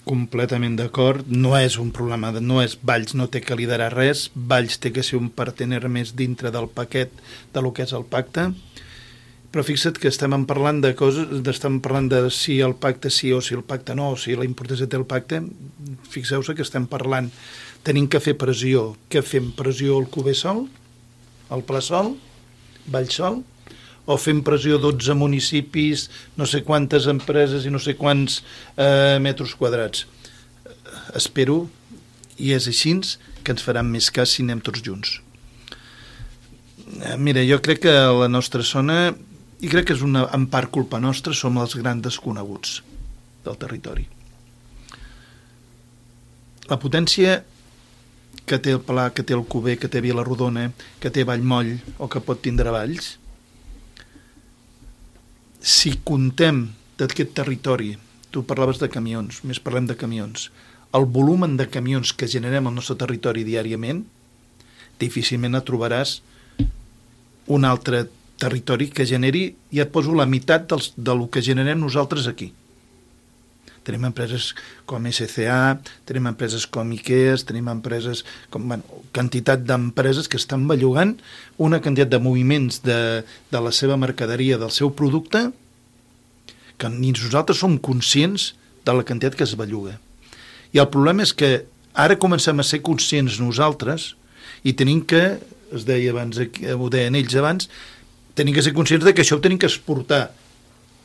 [SPEAKER 4] completament d'acord, no és un problema, de, no és Valls no té que liderar res, Valls té que ser un partener més dintre del paquet de lo que és el pacte, però fixa't que estem parlant de coses, estem parlant de si el pacte sí o si el pacte no, o si la importància té el pacte, fixeu-se que estem parlant, tenim que fer pressió, què fem? Pressió al Cuber sol, al Pla sol, Valls sol, o fem pressió a dotze municipis, no sé quantes empreses i no sé quants eh, metres quadrats. Espero, i és així, que ens faran més cas si anem tots junts. Mira, jo crec que la nostra zona, i crec que és una, en part culpa nostra, som els grans desconeguts del territori. La potència que té el Pla, que té el Cuber, que té Vilarrodona, que té Vallmoll o que pot tindre Valls, si contem d'aquest territori, tu parlaves de camions, més parlem de camions, el volum de camions que generem al nostre territori diàriament, difícilment et trobaràs un altre territori que generi, ja et poso la meitat dels, del que generem nosaltres aquí. Tenim empreses com S C A, tenim empreses com IKEA, tenim empreses com, bueno, quantitat d'empreses que estan bellugant una quantitat de moviments de, de la seva mercaderia, del seu producte, que ni nosaltres som conscients de la quantitat que es belluga. I el problema és que ara comencem a ser conscients nosaltres i tenim que, es deia abans, ho deien ells abans, tenim que ser conscients de que això ho tenim que exportar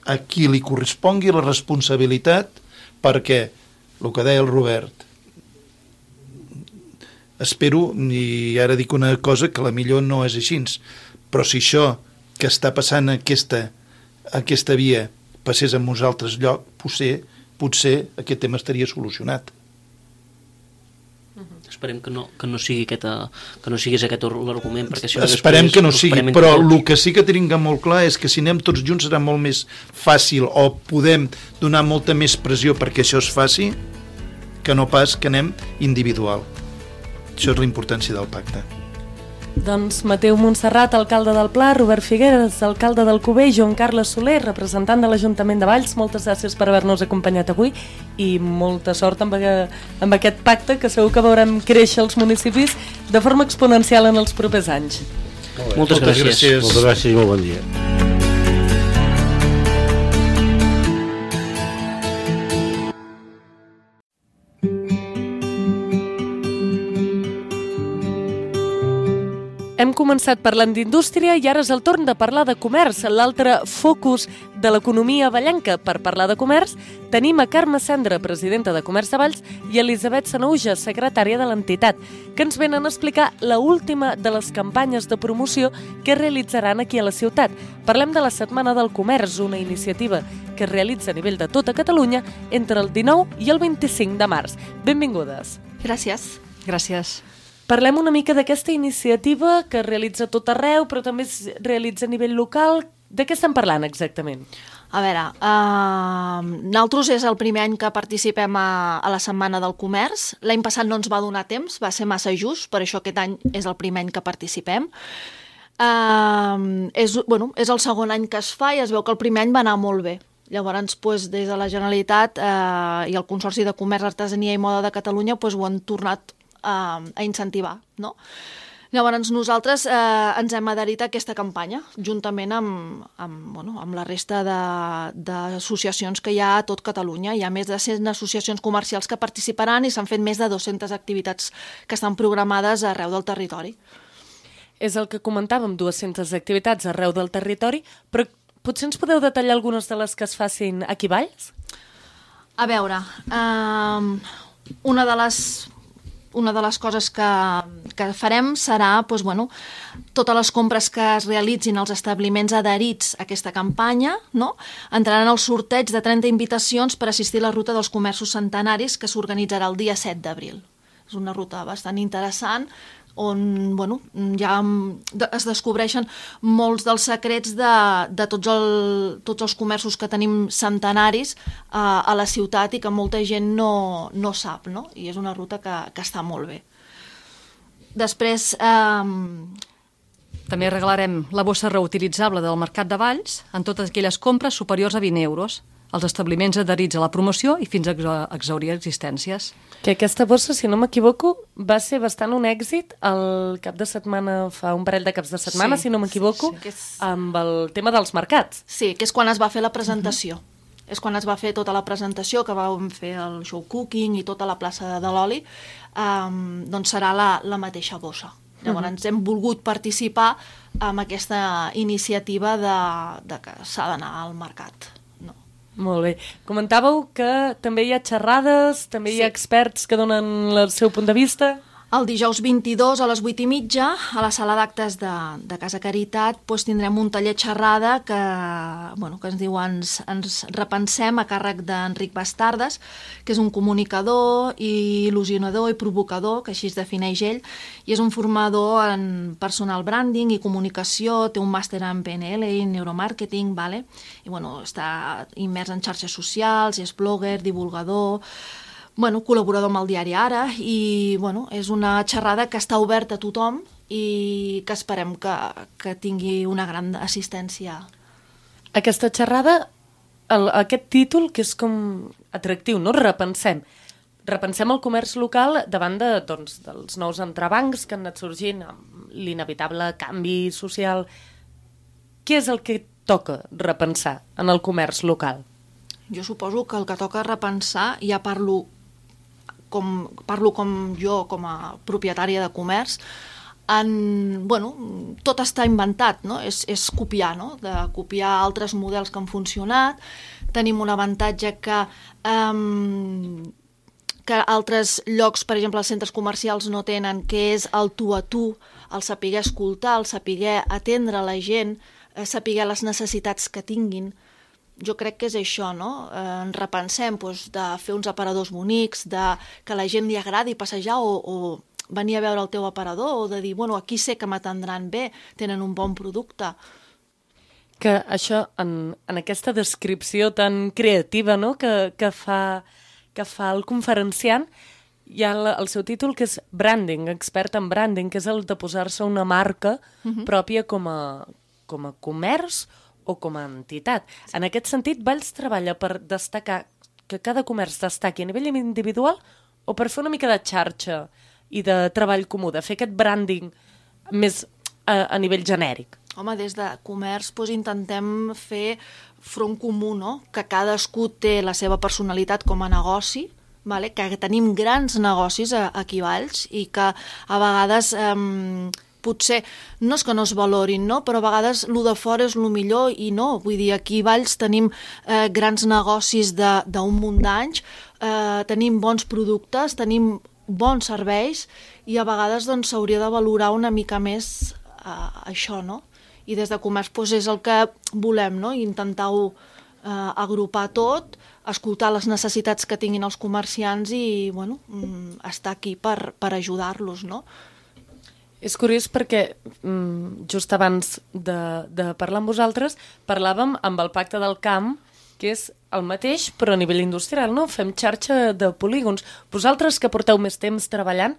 [SPEAKER 4] a qui li correspongui la responsabilitat, perquè, el que deia el Robert, espero, i ara dic una cosa que la millor no és així, però si això que està passant a aquesta, a aquesta via passés en uns altres llocs, potser, potser aquest tema estaria solucionat.
[SPEAKER 6] Esperem que no, que no sigui aquest, que no siguis aquest l'argument, perquè si no
[SPEAKER 4] esperem
[SPEAKER 6] després
[SPEAKER 4] que no sigui, però
[SPEAKER 6] tot.
[SPEAKER 4] el que sí que tenim molt clar és que si anem tots junts serà molt més fàcil, o podem donar molta més pressió perquè això es faci, que no pas que anem individual. Això és la importància del pacte.
[SPEAKER 2] Doncs Mateu Montserrat, alcalde del Pla, Robert Figueres, alcalde del Cubell, Joan Carles Soler, representant de l'Ajuntament de Valls, moltes gràcies per haver-nos acompanyat avui i molta sort amb, amb aquest pacte, que segur que veurem créixer els municipis de forma exponencial en els propers anys.
[SPEAKER 6] Moltes, moltes gràcies. gràcies.
[SPEAKER 5] Moltes gràcies i molt bon dia.
[SPEAKER 2] Hem començat parlant d'indústria i ara és el torn de parlar de comerç, l'altre focus de l'economia vallenca. Per parlar de comerç tenim a Carme Cendra, presidenta de Comerç de Valls, i Elisabet Sanauja, secretària de l'entitat, que ens venen a explicar la última de les campanyes de promoció que realitzaran aquí a la ciutat. Parlem de la Setmana del Comerç, una iniciativa que es realitza a nivell de tota Catalunya entre el dinou i el vint-i-cinc de març. Benvingudes.
[SPEAKER 7] Gràcies. Gràcies.
[SPEAKER 2] Parlem una mica d'aquesta iniciativa que es realitza tot arreu, però també es realitza a nivell local. De què estem parlant exactament?
[SPEAKER 7] A veure, uh, nosaltres és el primer any que participem a, a la Setmana del Comerç. L'any passat no ens va donar temps, va ser massa just, per això aquest any és el primer any que participem. Uh, és, bueno, és el segon any que es fa i es veu que el primer any va anar molt bé. Llavors, doncs, des de la Generalitat eh, i el Consorci de Comerç, Artesania i Moda de Catalunya doncs, ho han tornat a, a incentivar, no? Llavors nosaltres eh, ens hem adherit a aquesta campanya, juntament amb, amb, bueno, amb la resta d'associacions que hi ha a tot Catalunya. Hi ha més de cent associacions comercials que participaran i s'han fet més de dues-centes activitats que estan programades arreu del territori.
[SPEAKER 2] És el que comentàvem, dues-centes activitats arreu del territori, però potser ens podeu detallar algunes de les que es facin aquí a Valls?
[SPEAKER 7] A veure, eh, una de les... Una de les coses que, que farem serà doncs, bueno, totes les compres que es realitzin als establiments adherits a aquesta campanya, no? Entraran al sorteig de trenta invitacions per assistir a la ruta dels comerços centenaris que s'organitzarà el dia set d'abril. És una ruta bastant interessant on bueno, ja es descobreixen molts dels secrets de, de tots, el, tots els comerços que tenim centenaris eh, a la ciutat i que molta gent no, no sap, no? I és una ruta que, que està molt bé. Després... Eh...
[SPEAKER 8] També regalarem la bossa reutilitzable del Mercat de Valls en totes aquelles compres superiors a vint euros als establiments adherits a la promoció i fins a exhaurir existències.
[SPEAKER 2] Que aquesta bossa, si no m'equivoco, va ser bastant un èxit el cap de setmana, fa un parell de caps de setmana, sí, si no m'equivoco, sí, sí. amb el tema dels mercats.
[SPEAKER 7] Sí, que és quan es va fer la presentació. Uh-huh. És quan es va fer tota la presentació, que vam fer el show cooking i tota la plaça de l'oli, um, doncs serà la, la mateixa bossa. Llavors uh-huh. hem volgut participar en aquesta iniciativa de, de que s'ha d'anar al mercat.
[SPEAKER 2] Molt bé. Comentàveu que també hi ha xerrades, també sí. hi ha experts que donen el seu punt de vista.
[SPEAKER 7] El dijous vint-i-dos a les vuit i mitja, a la sala d'actes de, de Casa Caritat, doncs tindrem un taller xerrada que, bueno, que ens diu ens, ens repensem a càrrec d'Enric Bastardes, que és un comunicador, i il·lusionador i provocador, que així es defineix ell, i és un formador en personal branding i comunicació, té un màster en P N L i neuromàrqueting, vale? I bueno, està immers en xarxes socials, i és blogger, divulgador, bueno, col·laborador amb el diari Ara, i bueno, és una xerrada que està oberta a tothom i que esperem que, que tingui una gran assistència.
[SPEAKER 2] Aquesta xerrada, el, aquest títol, que és com atractiu, no? Repensem. Repensem el comerç local davant de, doncs, dels nous entrebancs que han anat sorgint amb l'inevitable canvi social. Què és el que toca repensar en el comerç local?
[SPEAKER 7] Jo suposo que el que toca repensar, ja parlo com, parlo com jo, com a propietària de comerç, en, bueno, tot està inventat, no? És, és copiar, no? De copiar altres models que han funcionat. Tenim un avantatge que, um, que altres llocs, per exemple, els centres comercials no tenen, que és el tu a tu, el saber escoltar, el saber atendre la gent, eh, saber les necessitats que tinguin. Jo crec que és això, no? Eh, ens repensem doncs, de fer uns aparadors bonics, de que a la gent li agradi passejar o, o venir a veure el teu aparador, o de dir, bueno, aquí sé que m'atendran bé, tenen un bon producte.
[SPEAKER 2] Que això, en, en aquesta descripció tan creativa, no?, que, que, fa, que fa el conferenciant, hi ha el, el seu títol, que és branding, expert en branding, que és el de posar-se una marca uh-huh. pròpia com a, com a comerç o com a entitat. Sí. En aquest sentit, Valls treballa per destacar que cada comerç destaqui a nivell individual o per fer una mica de xarxa i de treball comú, de fer aquest branding més a, a nivell genèric?
[SPEAKER 7] Home, des de comerç doncs, intentem fer front comú, no? Que cadascú té la seva personalitat com a negoci, vale? Que tenim grans negocis aquí a Valls i que a vegades eh, potser no és que no es valorin, no? Però a vegades el de fora és el millor i no. Vull dir, aquí a Valls tenim eh, grans negocis d'un munt d'anys, eh, tenim bons productes, tenim bons serveis i a vegades doncs, s'hauria de valorar una mica més eh, això, no? I des de comerç doncs, és el que volem, no? Intentar-ho eh, agrupar tot, escoltar les necessitats que tinguin els comerciants i bueno, estar aquí per, per ajudar-los, no?
[SPEAKER 2] És curiós perquè just abans de, de parlar amb vosaltres parlàvem amb el Pacte del Camp, que és el mateix però a nivell industrial, no? Fem xarxa de polígons. Vosaltres que porteu més temps treballant,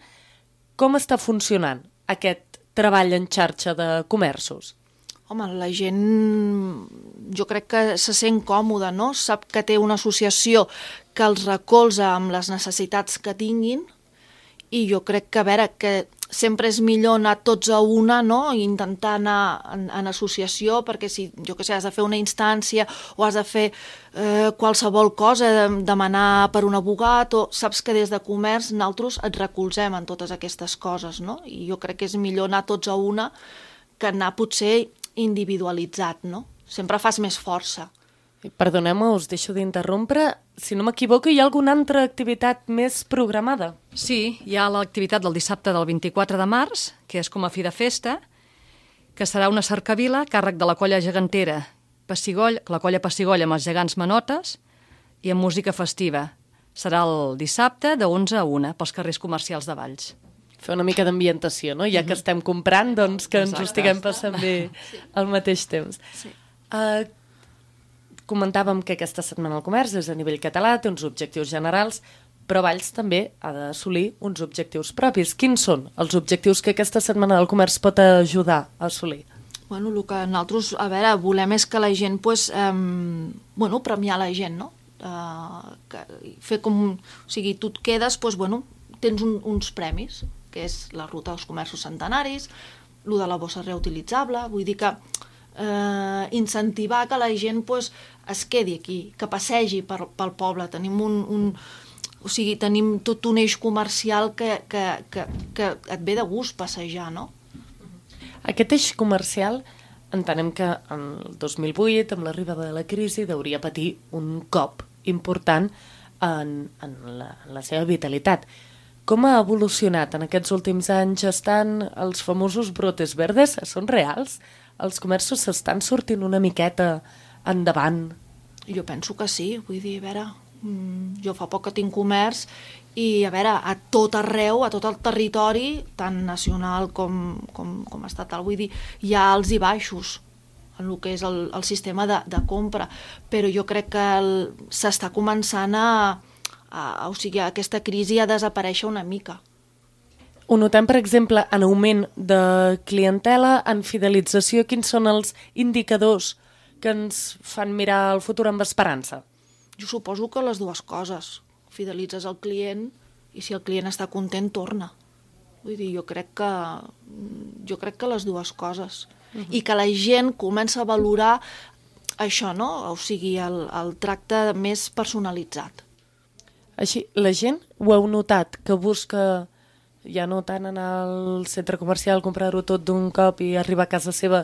[SPEAKER 2] com està funcionant aquest treball en xarxa de comerços?
[SPEAKER 7] Home, la gent jo crec que se sent còmoda, no? Sap que té una associació que els recolza amb les necessitats que tinguin i jo crec que, a veure, que sempre és millor anar tots a una, no? I intentar anar en, en associació, perquè si, jo què sé, has de fer una instància o has de fer eh, qualsevol cosa, demanar per un abogat, o saps que des de comerç nosaltres et recolzem en totes aquestes coses, no? I jo crec que és millor anar tots a una que anar potser individualitzat, no? Sempre fas més força.
[SPEAKER 2] Perdoneu-me, us deixo d'interrompre. Si no m'equivoco, hi ha alguna altra activitat més programada?
[SPEAKER 8] Sí, hi ha l'activitat del dissabte del vint-i-quatre de març, que és com a fi de festa, que serà una cercavila a càrrec de la colla gegantera, Pessigoll, la colla Pessigoll amb els gegants manotes i amb música festiva. Serà el dissabte de onze a una pels carrers comercials de Valls.
[SPEAKER 2] Fer una mica d'ambientació, no? Ja que estem comprant, doncs que ens ho estiguem passant bé al mateix temps. Sí. Uh, comentàvem que aquesta setmana el comerç és a nivell català, té uns objectius generals, però Valls també ha d'assolir uns objectius propis. Quins són els objectius que aquesta setmana del comerç pot ajudar a assolir?
[SPEAKER 7] Bueno, el que nosaltres, a veure, volem és que la gent, pues, eh, bueno, premiar la gent, no? Uh, que, fer com, o sigui, tu et quedes, pues, bueno, tens un, uns premis, que és la ruta dels comerços centenaris, el de la bossa reutilitzable, vull dir que eh, incentivar que la gent pues, es quedi aquí, que passegi per, pel poble. Tenim un, un, o sigui, tenim tot un eix comercial que, que, que, que et ve de gust passejar, no?
[SPEAKER 2] Aquest eix comercial entenem que en el dos mil vuit, amb l'arribada de la crisi, hauria patir un cop important en, en, la, en la seva vitalitat. Com ha evolucionat en aquests últims anys? Estan els famosos brotes verdes? Són reals? Els comerços s'estan sortint una miqueta endavant?
[SPEAKER 7] Jo penso que sí, vull dir, a veure, jo fa poc que tinc comerç i, a veure, a tot arreu, a tot el territori, tant nacional com, com, com estatal, vull dir, hi ha alts i baixos en el que és el, el sistema de, de compra, però jo crec que s'està començant a Uh, o sigui, aquesta crisi ha desaparèixer una mica.
[SPEAKER 2] Ho notem, per exemple, en augment de clientela, en fidelització. Quins són els indicadors que ens fan mirar el futur amb esperança?
[SPEAKER 7] Jo suposo que les dues coses. Fidelitzes el client i si el client està content, torna. Vull dir, jo crec que, jo crec que les dues coses. Uh-huh. I que la gent comença a valorar això, no? O sigui, el, el tracte més personalitzat.
[SPEAKER 2] Així, la gent ho heu notat, que busca Ja no tant anar al centre comercial, comprar-ho tot d'un cop i arribar a casa seva.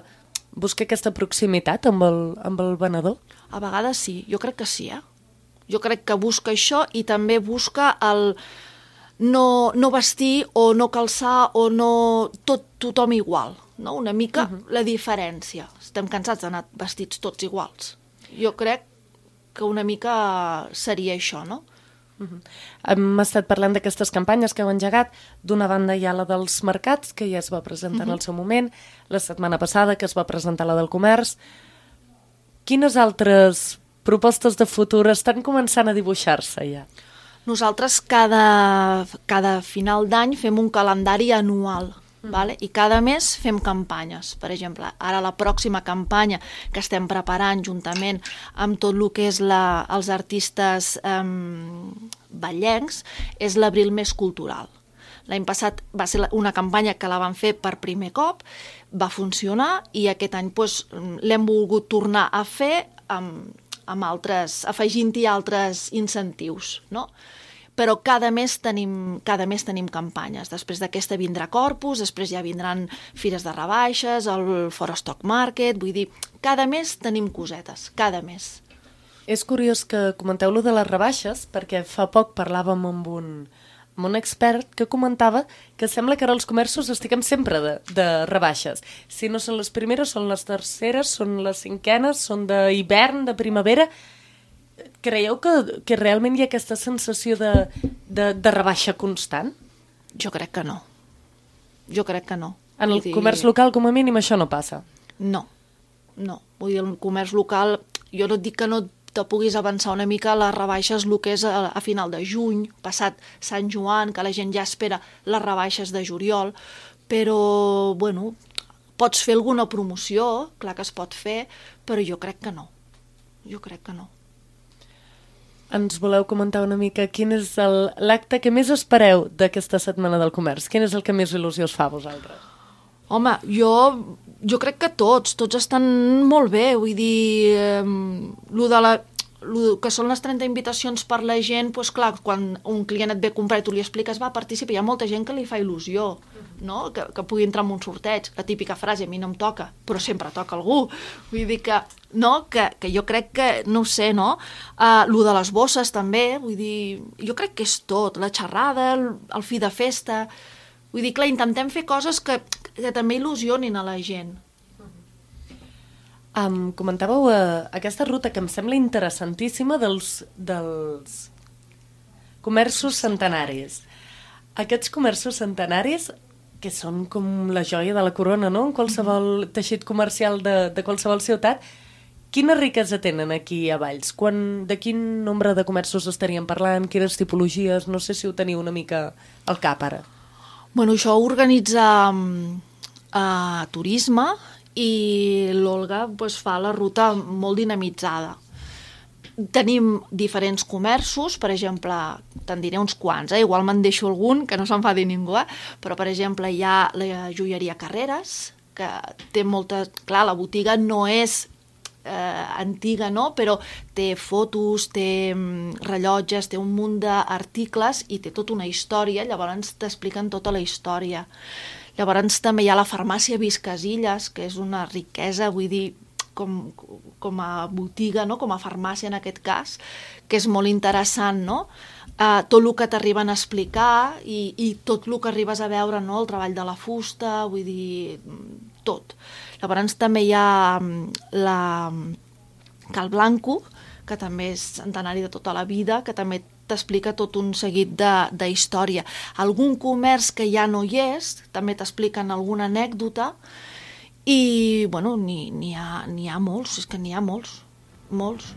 [SPEAKER 2] Busca aquesta proximitat amb el, amb el venedor?
[SPEAKER 7] A vegades sí, jo crec que sí, eh? Jo crec que busca això i també busca el no, no vestir o no calçar o no tot tothom igual, no? Una mica uh-huh. la diferència. Estem cansats d'anar vestits tots iguals. Jo crec que una mica seria això, no?
[SPEAKER 2] Uh-huh. Hem estat parlant d'aquestes campanyes que heu engegat. D'una banda hi ha la dels mercats, que ja es va presentar uh-huh. en el seu moment, la setmana passada que es va presentar la del comerç. Quines altres propostes de futur estan començant a dibuixar-se ja?
[SPEAKER 7] Nosaltres cada, cada final d'any fem un calendari anual. Mm. Vale? I cada mes fem campanyes. Per exemple, ara la pròxima campanya que estem preparant juntament amb tot el que és la, els artistes eh, ballencs és l'Abril Mes Cultural. L'any passat va ser una campanya que la van fer per primer cop, va funcionar i aquest any doncs, l'hem volgut tornar a fer amb, amb altres, afegint-hi altres incentius, no? Però cada mes tenim, cada mes tenim campanyes. Després d'aquesta vindrà Corpus, després ja vindran fires de rebaixes, el Fora Stock Market, vull dir, cada mes tenim cosetes, cada mes.
[SPEAKER 2] És curiós que comenteu lo de les rebaixes, perquè fa poc parlàvem amb un, amb un expert que comentava que sembla que ara els comerços estiguem sempre de, de rebaixes. Si no són les primeres, són les terceres, són les cinquenes, són d'hivern, de primavera. Creieu que, que realment hi ha aquesta sensació de, de, de rebaixa constant?
[SPEAKER 7] Jo crec que no. Jo crec que no.
[SPEAKER 2] En el dir... comerç local, com a mínim, això no passa?
[SPEAKER 7] No, no. Vull dir, el comerç local, jo no et dic que no te puguis avançar una mica a les rebaixes el que és a, a final de juny, passat Sant Joan, que la gent ja espera les rebaixes de juliol, però, bueno, pots fer alguna promoció, clar que es pot fer, però jo crec que no. Jo crec que no.
[SPEAKER 2] Ens voleu comentar una mica quin és l'acte que més espereu d'aquesta setmana del comerç? Quin és el que més il·lusió us fa a vosaltres?
[SPEAKER 7] Home, jo, jo crec que tots, tots estan molt bé, vull dir, eh, lo de la, lo que són les trenta invitacions per la gent, doncs clar, quan un client et ve a comprar i tu li expliques, va, participa, hi ha molta gent que li fa il·lusió, no? que, que pugui entrar en un sorteig, la típica frase, a mi no em toca, però sempre toca algú, vull dir que, no? que, que jo crec que, no ho sé, no? Uh, lo de les bosses també, vull dir, jo crec que és tot, la xerrada, el, el fi de festa, vull dir, clar, intentem fer coses que, que també il·lusionin a la gent.
[SPEAKER 2] Um, comentàveu uh, aquesta ruta que em sembla interessantíssima dels, dels comerços centenaris. Aquests comerços centenaris que són com la joia de la corona, no? En qualsevol teixit comercial de, de qualsevol ciutat. Quina riquesa tenen aquí a Valls? Quan, de quin nombre de comerços estaríem parlant? Quines tipologies? No sé si ho teniu una mica al cap ara.
[SPEAKER 7] Bueno, això ho organitza uh, turisme i l'Olga pues, fa la ruta molt dinamitzada. Tenim diferents comerços, per exemple, te'n diré uns quants, eh? Igual me'n deixo algun, que no s'enfadi ningú, eh? Però per exemple hi ha la joieria Carreras, que té molta... Clar, la botiga no és eh, antiga, no? Però té fotos, té rellotges, té un munt d'articles i té tota una història, llavors t'expliquen tota la història. Llavors també hi ha la farmàcia Viscasillas, que és una riquesa, vull dir, com, com a botiga, no? Com a farmàcia en aquest cas, que és molt interessant, no? Uh, tot el que t'arriben a explicar i, i tot el que arribes a veure, no? El treball de la fusta, vull dir, tot. Llavors també hi ha la Cal Blanco, que també és centenari de tota la vida, que també t'explica tot un seguit de, de història. Algun comerç que ja no hi és, també t'expliquen alguna anècdota, i, bueno, n'hi ha, n'hi ha molts, és que n'hi ha molts, molts.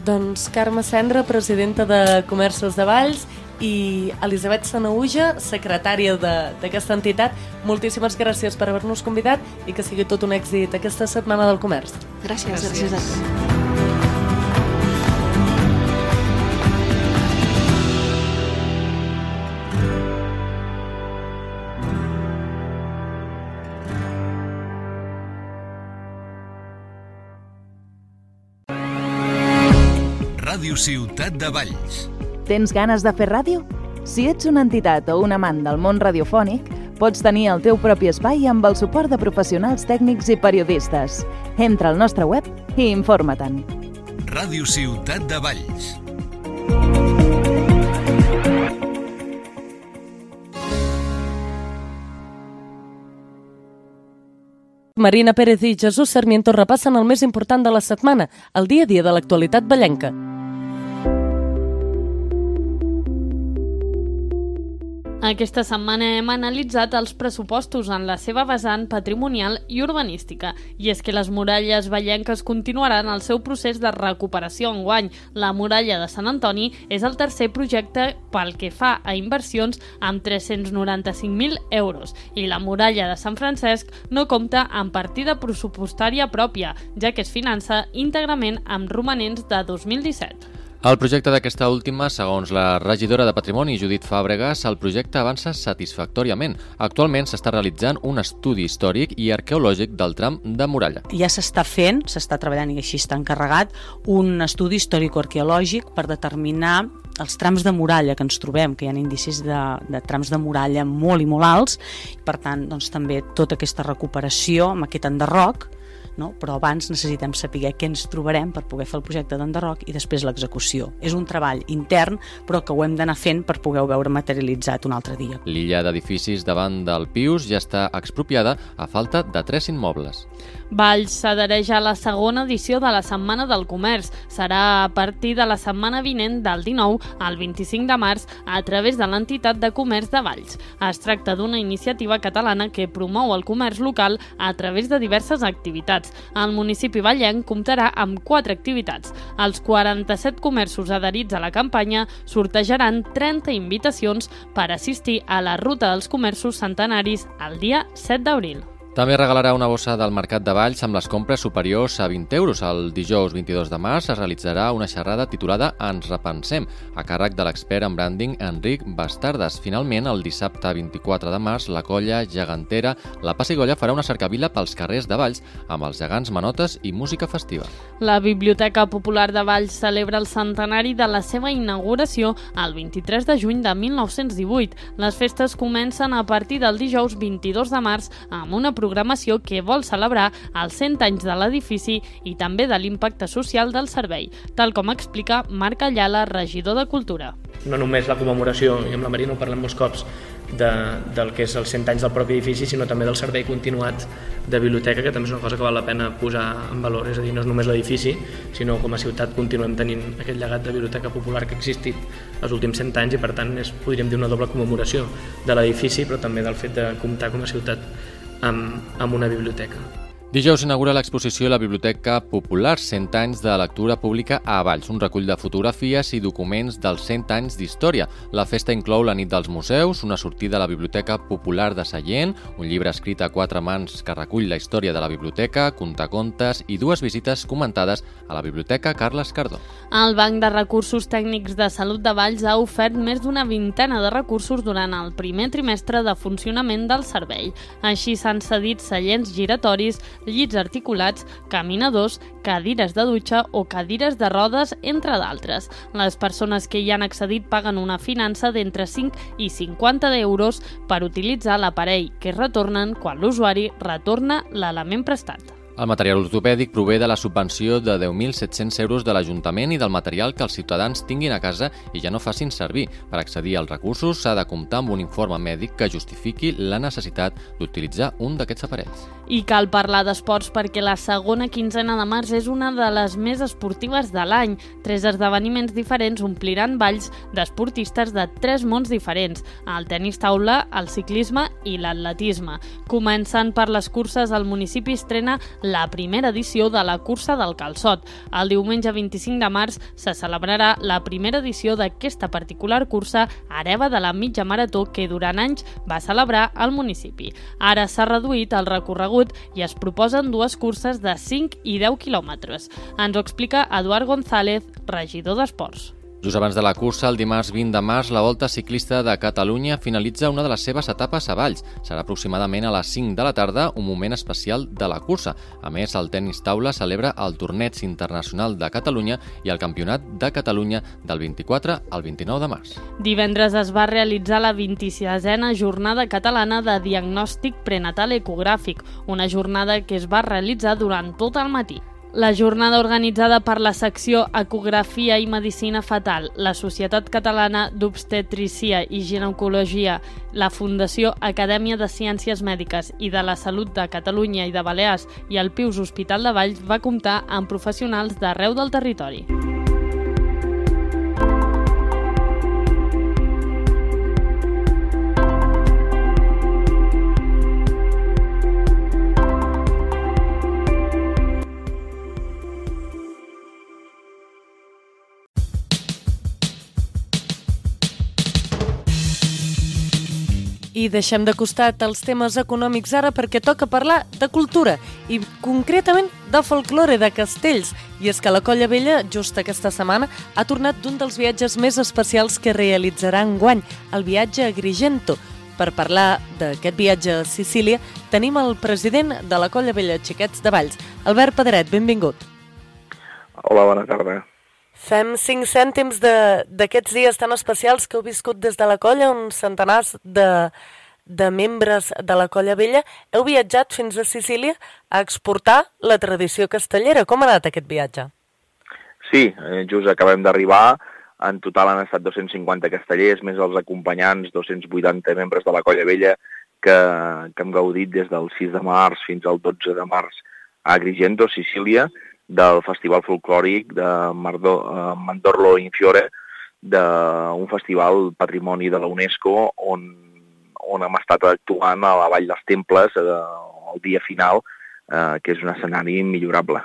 [SPEAKER 2] Doncs Carme Cendra, presidenta de Comerços de Valls, i Elisabet Sanaüja, secretària d'aquesta entitat, moltíssimes gràcies per haver-nos convidat i que sigui tot un èxit aquesta setmana del comerç.
[SPEAKER 7] Gràcies, gràcies, gràcies a tu.
[SPEAKER 1] Ràdio Ciutat de Valls.
[SPEAKER 9] Tens ganes de fer ràdio? Si ets una entitat o un amant del món radiofònic, pots tenir el teu propi espai amb el suport de professionals tècnics i periodistes. Entra al nostre web i informa-te'n.
[SPEAKER 1] Ràdio Ciutat de Valls.
[SPEAKER 2] Marina Pérez i Jesús Sarmiento repassen el més important de la setmana, el dia a dia de l'actualitat vallenca.
[SPEAKER 10] Aquesta setmana hem analitzat els pressupostos en la seva vessant patrimonial i urbanística. I és que les muralles vallenques continuaran el seu procés de recuperació enguany. La muralla de Sant Antoni és el tercer projecte pel que fa a inversions amb tres-cents noranta-cinc mil euros. I la muralla de Sant Francesc no compta amb partida pressupostària pròpia, ja que es finança íntegrament amb romanents de dos mil disset.
[SPEAKER 11] El projecte d'aquesta última, segons la regidora de Patrimoni, Judit Fàbregas, el projecte avança satisfactòriament. Actualment s'està realitzant un estudi històric i arqueològic del tram de muralla.
[SPEAKER 12] Ja s'està fent, s'està treballant i així està encarregat, un estudi històrico-arqueològic per determinar els trams de muralla que ens trobem, que hi ha indicis de, de trams de muralla molt i molt alts, i per tant doncs, també tota aquesta recuperació amb aquest enderroc, no? Però abans necessitem saber què ens trobarem per poder fer el projecte d'enderroc i després l'execució. És un treball intern, però que ho hem d'anar fent per poder-ho veure materialitzat un altre dia.
[SPEAKER 11] L'illa d'edificis davant del Pius ja està expropiada a falta de tres immobles.
[SPEAKER 10] Valls s'adhereix a la segona edició de la Setmana del Comerç. Serà a partir de la setmana vinent del dinou al vint-i-cinc de març a través de l'entitat de comerç de Valls. Es tracta d'una iniciativa catalana que promou el comerç local a través de diverses activitats. El municipi vallenc comptarà amb quatre activitats. Els quaranta-set comerços adherits a la campanya sortejaran trenta invitacions per assistir a la Ruta dels Comerços Centenaris el dia set d'abril.
[SPEAKER 11] També regalarà una bossa del Mercat de Valls amb les compres superiors a vint euros. El dijous vint-i-dos de març es realitzarà una xerrada titulada Ens repensem, a càrrec de l'expert en branding Enric Bastardes. Finalment, el dissabte vint-i-quatre de març, la colla gegantera La Pessigolles farà una cercavila pels carrers de Valls amb els gegants manotes i música festiva.
[SPEAKER 10] La Biblioteca Popular de Valls celebra el centenari de la seva inauguració el vint-i-tres de juny de mil nou-cents divuit. Les festes comencen a partir del dijous vint-i-dos de març amb una programació que vol celebrar els cent anys de l'edifici i també de l'impacte social del servei, tal com explica Marc Ayala, regidor de Cultura.
[SPEAKER 13] No només la commemoració, i amb la Marina ho parlem molts cops, de, del que és els cent anys del propi edifici, sinó també del servei continuat de biblioteca, que també és una cosa que val la pena posar en valor. És a dir, no és només l'edifici, sinó com a ciutat continuem tenint aquest llegat de biblioteca popular que ha existit els últims cent anys i per tant és, podríem dir, una doble commemoració de l'edifici, però també del fet de comptar com a ciutat amb, amb una biblioteca.
[SPEAKER 11] Dijous s'inaugura l'exposició La Biblioteca Popular, cent anys de lectura pública a Valls, un recull de fotografies i documents dels cent anys d'història. La festa inclou la nit dels museus, una sortida a la Biblioteca Popular de Sallent, un llibre escrit a quatre mans que recull la història de la biblioteca, contacontes i dues visites comentades a la Biblioteca Carles Cardó.
[SPEAKER 10] El Banc de Recursos Tècnics de Salut de Valls ha ofert més d'una vintena de recursos durant el primer trimestre de funcionament del servei. Així s'han cedit seients giratoris, llits articulats, caminadors, cadires de dutxa o cadires de rodes, entre d'altres. Les persones que hi han accedit paguen una finança d'entre cinc i cinquanta euros per utilitzar l'aparell, que retornen quan l'usuari retorna l'element prestat.
[SPEAKER 11] El material ortopèdic prové de la subvenció de deu mil set-cents euros de l'Ajuntament i del material que els ciutadans tinguin a casa i ja no facin servir. Per accedir als recursos s'ha de comptar amb un informe mèdic que justifiqui la necessitat d'utilitzar un d'aquests aparells.
[SPEAKER 10] I cal parlar d'esports perquè la segona quinzena de març és una de les més esportives de l'any. Tres esdeveniments diferents ompliran Valls d'esportistes de tres mons diferents: el tenis taula, el ciclisme i l'atletisme. Començant per les curses, el municipi estrena la primera edició de la Cursa del Calçot. El diumenge vint-i-cinc de març se celebrarà la primera edició d'aquesta particular cursa hereva de la mitja marató que durant anys va celebrar el municipi. Ara s'ha reduït el recorregut i es proposen dues curses de cinc i deu quilòmetres. Ens ho explica Eduard González, regidor d'Esports.
[SPEAKER 11] Just abans de la cursa, el dimarts vint de març, la Volta Ciclista de Catalunya finalitza una de les seves etapes a Valls. Serà aproximadament a les cinc de la tarda, un moment especial de la cursa. A més, el tenis taula celebra el Torneig Internacional de Catalunya i el Campionat de Catalunya del vint-i-quatre al vint-i-nou de març.
[SPEAKER 10] Divendres es va realitzar la vint-i-sisena Jornada Catalana de Diagnòstic Prenatal Ecogràfic, una jornada que es va realitzar durant tot el matí. La jornada organitzada per la secció Ecografia i Medicina Fetal, la Societat Catalana d'Obstetrícia i Ginecologia, la Fundació Acadèmia de Ciències Mèdiques i de la Salut de Catalunya i de Balears i el Pius Hospital de Valls va comptar amb professionals d'arreu del territori.
[SPEAKER 2] I deixem de costat els temes econòmics ara perquè toca parlar de cultura i concretament de folklore de castells. I és que la Colla Vella, just aquesta setmana, ha tornat d'un dels viatges més especials que realitzarà enguany, el viatge a Agrigento. Per parlar d'aquest viatge a Sicília, tenim el president de la Colla Vella Xiquets de Valls, Albert Pedret, benvingut.
[SPEAKER 14] Hola, bona tarda.
[SPEAKER 2] Fem cinc cèntims d'aquests dies tan especials que heu viscut des de la colla, uns centenars de, de membres de la Colla Vella. Heu viatjat fins a Sicília a exportar la tradició castellera. Com ha anat aquest viatge?
[SPEAKER 14] Sí, just acabem d'arribar. En total han estat dos-cents cinquanta castellers, més els acompanyants, dos-cents vuitanta membres de la Colla Vella que, que hem gaudit des del sis de març fins al dotze de març a Agrigento, Sicília, del Festival Folclòric de Mardo, uh, Mandorlo in Fiore, d'un festival patrimoni de la UNESCO on, on hem estat actuant a la Vall dels Temples uh, el dia final, uh, que és un escenari millorable.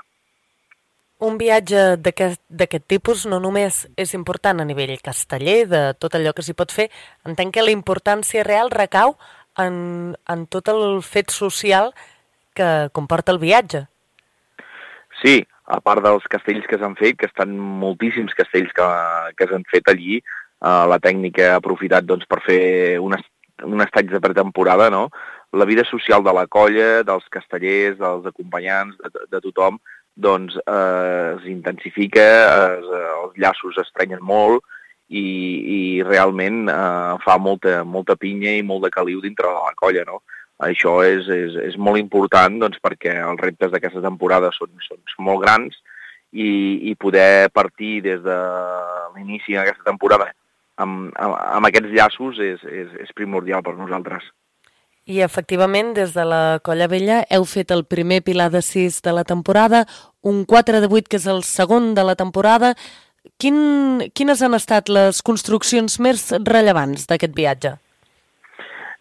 [SPEAKER 2] Un viatge d'aquest tipus no només és important a nivell casteller, de tot allò que s'hi pot fer, entenc que la importància real recau en, en tot el fet social que comporta el viatge.
[SPEAKER 14] Sí, a part dels castells que s'han fet, que estan moltíssims castells que, que s'han fet allí, eh, la tècnica ha aprofitat doncs, per fer un, est un estatge de pretemporada, no? La vida social de la colla, dels castellers, dels acompanyants, de, de tothom, doncs eh, es intensifica, es, els llaços estrenyen molt i, i realment eh, fa molta, molta pinya i molt de caliu dintre de la colla, no? Això és, és, és molt important doncs, perquè els reptes d'aquesta temporada són, són, són molt grans i, i poder partir des de l'inici d'aquesta temporada amb, amb, amb aquests llaços és, és, és primordial per nosaltres.
[SPEAKER 2] I efectivament, des de la Colla Vella heu fet el primer pilar de sis de la temporada, un quatre de vuit que és el segon de la temporada. Quin, quines han estat les construccions més rellevants d'aquest viatge?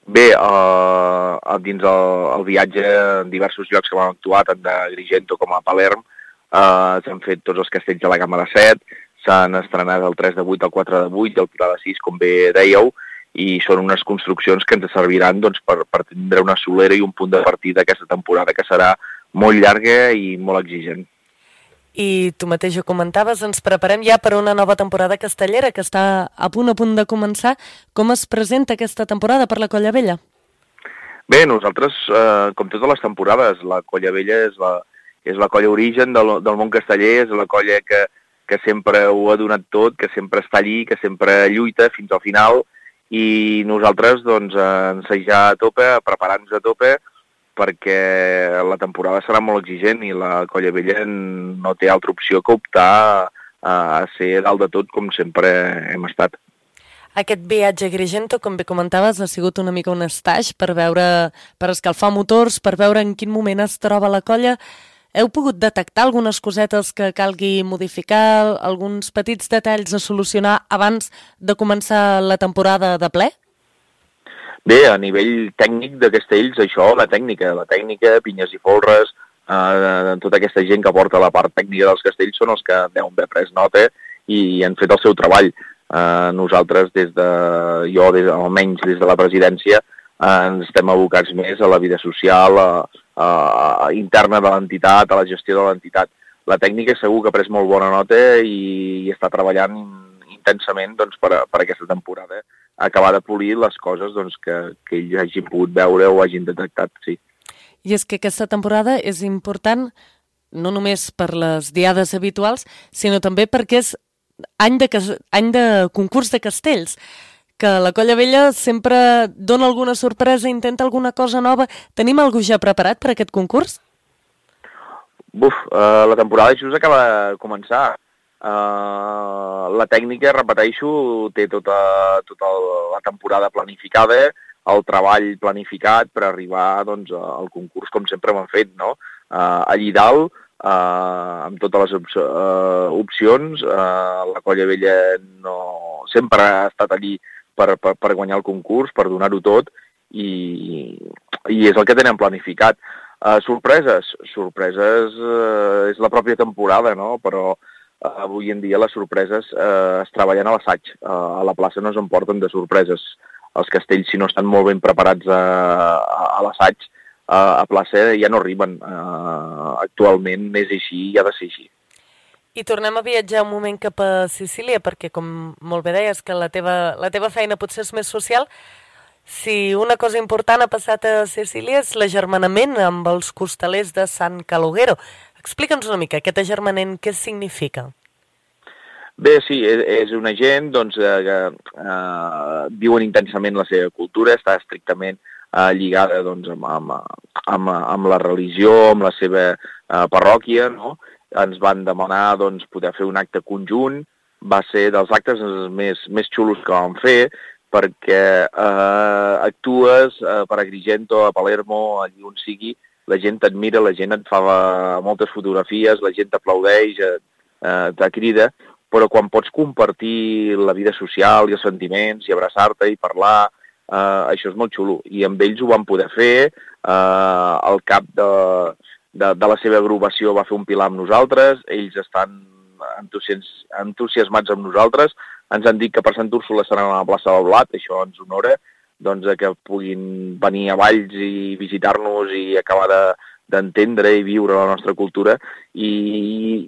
[SPEAKER 14] Bé, uh, dins el, el viatge en diversos llocs que vam actuar, tant d'Agrigento com a Palerm, uh, s'han fet tots els castells de la gamma de set, s'han estrenat el tres de vuit, el quatre de vuit i el pilar de sis, com bé dèieu, i són unes construccions que ens serviran doncs, per, per tindre una solera i un punt de partida d'aquesta temporada que serà molt llarga i molt exigent.
[SPEAKER 2] I tu mateix ho comentaves, ens preparem ja per una nova temporada castellera que està a punt a punt de començar. Com es presenta aquesta temporada per la Colla Vella?
[SPEAKER 14] Bé, nosaltres, eh, com totes les temporades, la Colla Vella és la, és la colla origen del, del món casteller, és la colla que, que sempre ho ha donat tot, que sempre està allí, que sempre lluita fins al final, i nosaltres, doncs, ensejar a tope, preparar-nos a tope, perquè la temporada serà molt exigent i la Colla Vella no té altra opció que optar a ser dalt de tot com sempre hem estat.
[SPEAKER 2] Aquest viatge a Agrigento, com bé comentaves, ha sigut una mica un estatge per veure, per escalfar motors, per veure en quin moment es troba la colla. Heu pogut detectar algunes cosetes que calgui modificar, alguns petits detalls a solucionar abans de començar la temporada de ple?
[SPEAKER 14] Bé, a nivell tècnic de castells, això, la tècnica, la tècnica, pinyes i folres, eh, tota aquesta gent que porta la part tècnica dels castells són els que deuen haver pres nota i han fet el seu treball. Eh, nosaltres, des de, jo des, almenys des de la presidència, eh, ens estem abocats més a la vida social, a, a, a interna de l'entitat, a la gestió de l'entitat. La tècnica segur que ha pres molt bona nota i, i està treballant intensament doncs, per, per aquesta temporada, acabar de polir les coses doncs, que, que ells hagin pogut veure o hagin detectat, sí.
[SPEAKER 2] I és que aquesta temporada és important no només per les diades habituals, sinó també perquè és any de, any de concurs de castells, que la Colla Vella sempre dona alguna sorpresa, intenta alguna cosa nova. Tenim algú ja preparat per aquest concurs?
[SPEAKER 14] Buf, uh, la temporada just acaba de començar. Uh, la tècnica, repeteixo, té tota, tota la temporada planificada, el treball planificat per arribar doncs, al concurs com sempre ho han fet, no? Uh, allí dalt, uh, amb totes les op uh, opcions, uh, la Colla Vella no... sempre ha estat allí per, per, per guanyar el concurs, per donar-ho tot, i, i és el que tenen planificat. Uh, sorpreses? Sorpreses uh, és la pròpia temporada, no? Però uh, avui en dia les sorpreses uh, es treballen a l'assaig. Uh, a la plaça no s'emporten de sorpreses. Els castells, si no estan molt ben preparats a, a, a l'assaig, uh, a plaça ja no arriben. Uh, actualment és així i ha de ser així.
[SPEAKER 2] I tornem a viatjar un moment cap a Sicília, perquè com molt bé deies que la teva, la teva feina potser és més social. Si una cosa important ha passat a Sicília és l'agermanament amb els costalers de San Calogero. Explica'ns una mica aquest agermanament, què significa?
[SPEAKER 14] Bé, sí, és una gent doncs, eh, que eh, viuen intensament la seva cultura, està estrictament eh, lligada doncs, amb, amb, amb, amb la religió, amb la seva eh, parròquia, no? Ens van demanar doncs, poder fer un acte conjunt, va ser dels actes més, més xulos que vam fer, perquè eh, actues eh, per Agrigento, a Palermo, allí on sigui, la gent t'admira, la gent et fa moltes fotografies, la gent t'aplaudeix, eh, eh, te crida, però quan pots compartir la vida social i els sentiments i abraçar-te i parlar, eh, això és molt xulo. I amb ells ho vam poder fer, eh, al cap de... De, de la seva agrupació va fer un pilar amb nosaltres, ells estan entusias, entusiasmats amb nosaltres, ens han dit que per Sant Úrsula seran a la plaça del Blat, això ens honora, doncs que puguin venir a Valls i visitar-nos i acabar d'entendre de, i viure la nostra cultura, i,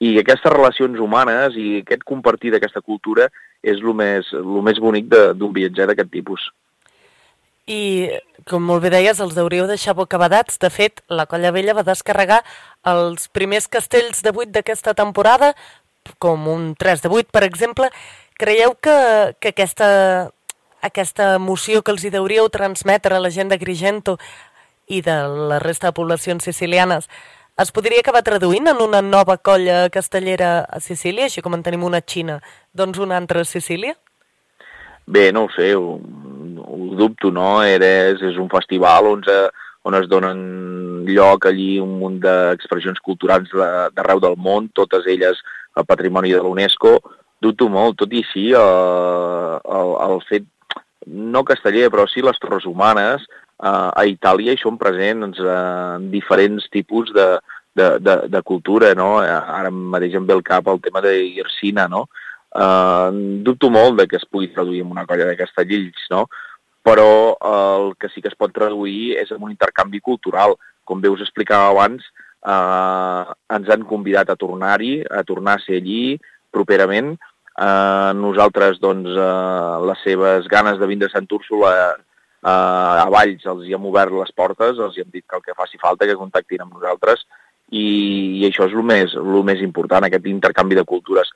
[SPEAKER 14] i aquestes relacions humanes i aquest compartir d'aquesta cultura és el més, el més bonic d'un viatger d'aquest tipus.
[SPEAKER 2] I, com molt bé deies, els hauríeu deixar bocabadats. De fet, la Colla Vella va descarregar els primers castells de vuit d'aquesta temporada, com un tres de vuit, per exemple. Creieu que, que aquesta, aquesta emoció que els hi hauríeu transmetre a la gent d'Agrigento i de la resta de poblacions sicilianes es podria acabar traduint en una nova colla castellera a Sicília, així com en tenim una a Xina, doncs una altra a Sicília?
[SPEAKER 14] Bé, no ho sé, ho, ho dubto, no? És, és un festival on, on es donen lloc allí un munt d'expressions culturals d'arreu del món, totes elles el patrimoni de l'UNESCO. Dubto molt, tot i així, el, el, el fet, no casteller, però sí les Torres Humanes, a Itàlia hi són presents en diferents tipus de, de, de, de cultura, no? Ara mateix em ve al cap el tema d'Irsina, no? Uh, dubto molt de que es pugui traduir en una colla de castellers, no? Però uh, el que sí que es pot traduir és en un intercanvi cultural. Com bé us explicava abans, uh, ens han convidat a tornar-hi, a tornar a ser allí properament. Uh, nosaltres, doncs, uh, les seves ganes de vindre a Sant Úrsula uh, a Valls els hi hem obert les portes, els hi hem dit que el que faci falta, que contactin amb nosaltres, i, i això és el més, el més important, aquest intercanvi de cultures.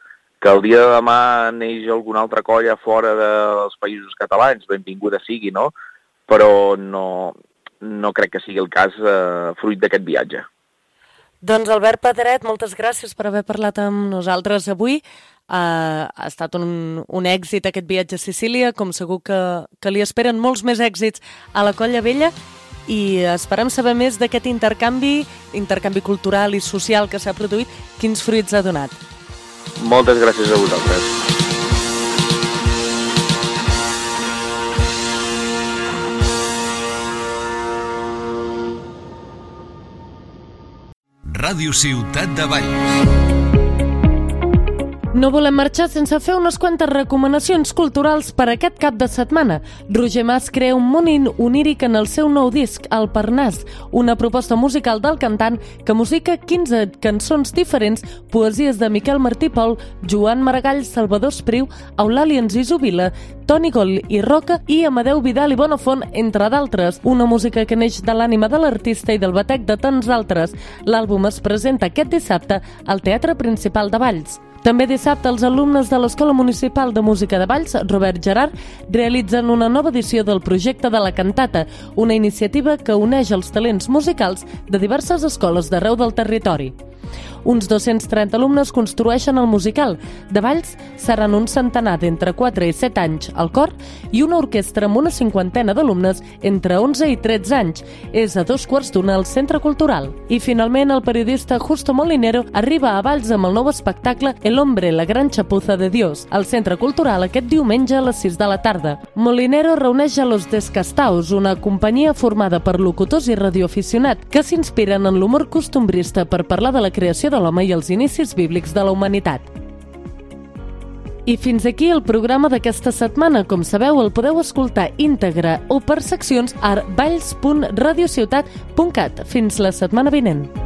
[SPEAKER 14] Que el dia de demà neix alguna altra colla fora dels països catalans, benvinguda sigui, no? Però no, no crec que sigui el cas eh, fruit d'aquest viatge.
[SPEAKER 2] Doncs Albert Pedret, moltes gràcies per haver parlat amb nosaltres avui. Uh, ha estat un, un èxit aquest viatge a Sicília, com segur que, que li esperen molts més èxits a la Colla Vella, i esperem saber més d'aquest intercanvi, intercanvi cultural i social que s'ha produït, quins fruits ha donat.
[SPEAKER 14] Moltes gràcies a vosaltres.
[SPEAKER 1] Ràdio Ciutat de Valls.
[SPEAKER 2] No volem marxar sense fer unes quantes recomanacions culturals per aquest cap de setmana. Roger Mas crea un món oníric en el seu nou disc, El Parnàs, una proposta musical del cantant que musica quinze cançons diferents, poesies de Miquel Martí Pol, Joan Maragall, Salvador Espriu, Eulàlia Enciso Vila, Toni Gol i Roca i Amadeu Vidal i Bonafont, entre d'altres. Una música que neix de l'ànima de l'artista i del batec de tants altres. L'àlbum es presenta aquest dissabte al Teatre Principal de Valls. També dissabte els alumnes de l'Escola Municipal de Música de Valls, Robert Gerard, realitzen una nova edició del projecte de la Cantata, una iniciativa que uneix els talents musicals de diverses escoles d'arreu del territori. Uns dos-cents trenta alumnes construeixen el musical. De Valls seran un centenar d'entre quatre i set anys al cor i una orquestra amb una cinquantena d'alumnes entre onze i tretze anys. És a dos quarts d'una al Centre Cultural. I finalment el periodista Justo Molinero arriba a Valls amb el nou espectacle El hombre, la gran chapuza de Dios, al Centre Cultural aquest diumenge a les sis de la tarda. Molinero reuneix a Los Descastaos, una companyia formada per locutors i radioaficionat que s'inspiren en l'humor costumbrista per parlar de la creació de l'home i els inicis bíblics de la humanitat. I fins aquí el programa d'aquesta setmana. Com sabeu, el podeu escoltar íntegre o per seccions a valls punt radiociutat punt cat. Fins la setmana vinent.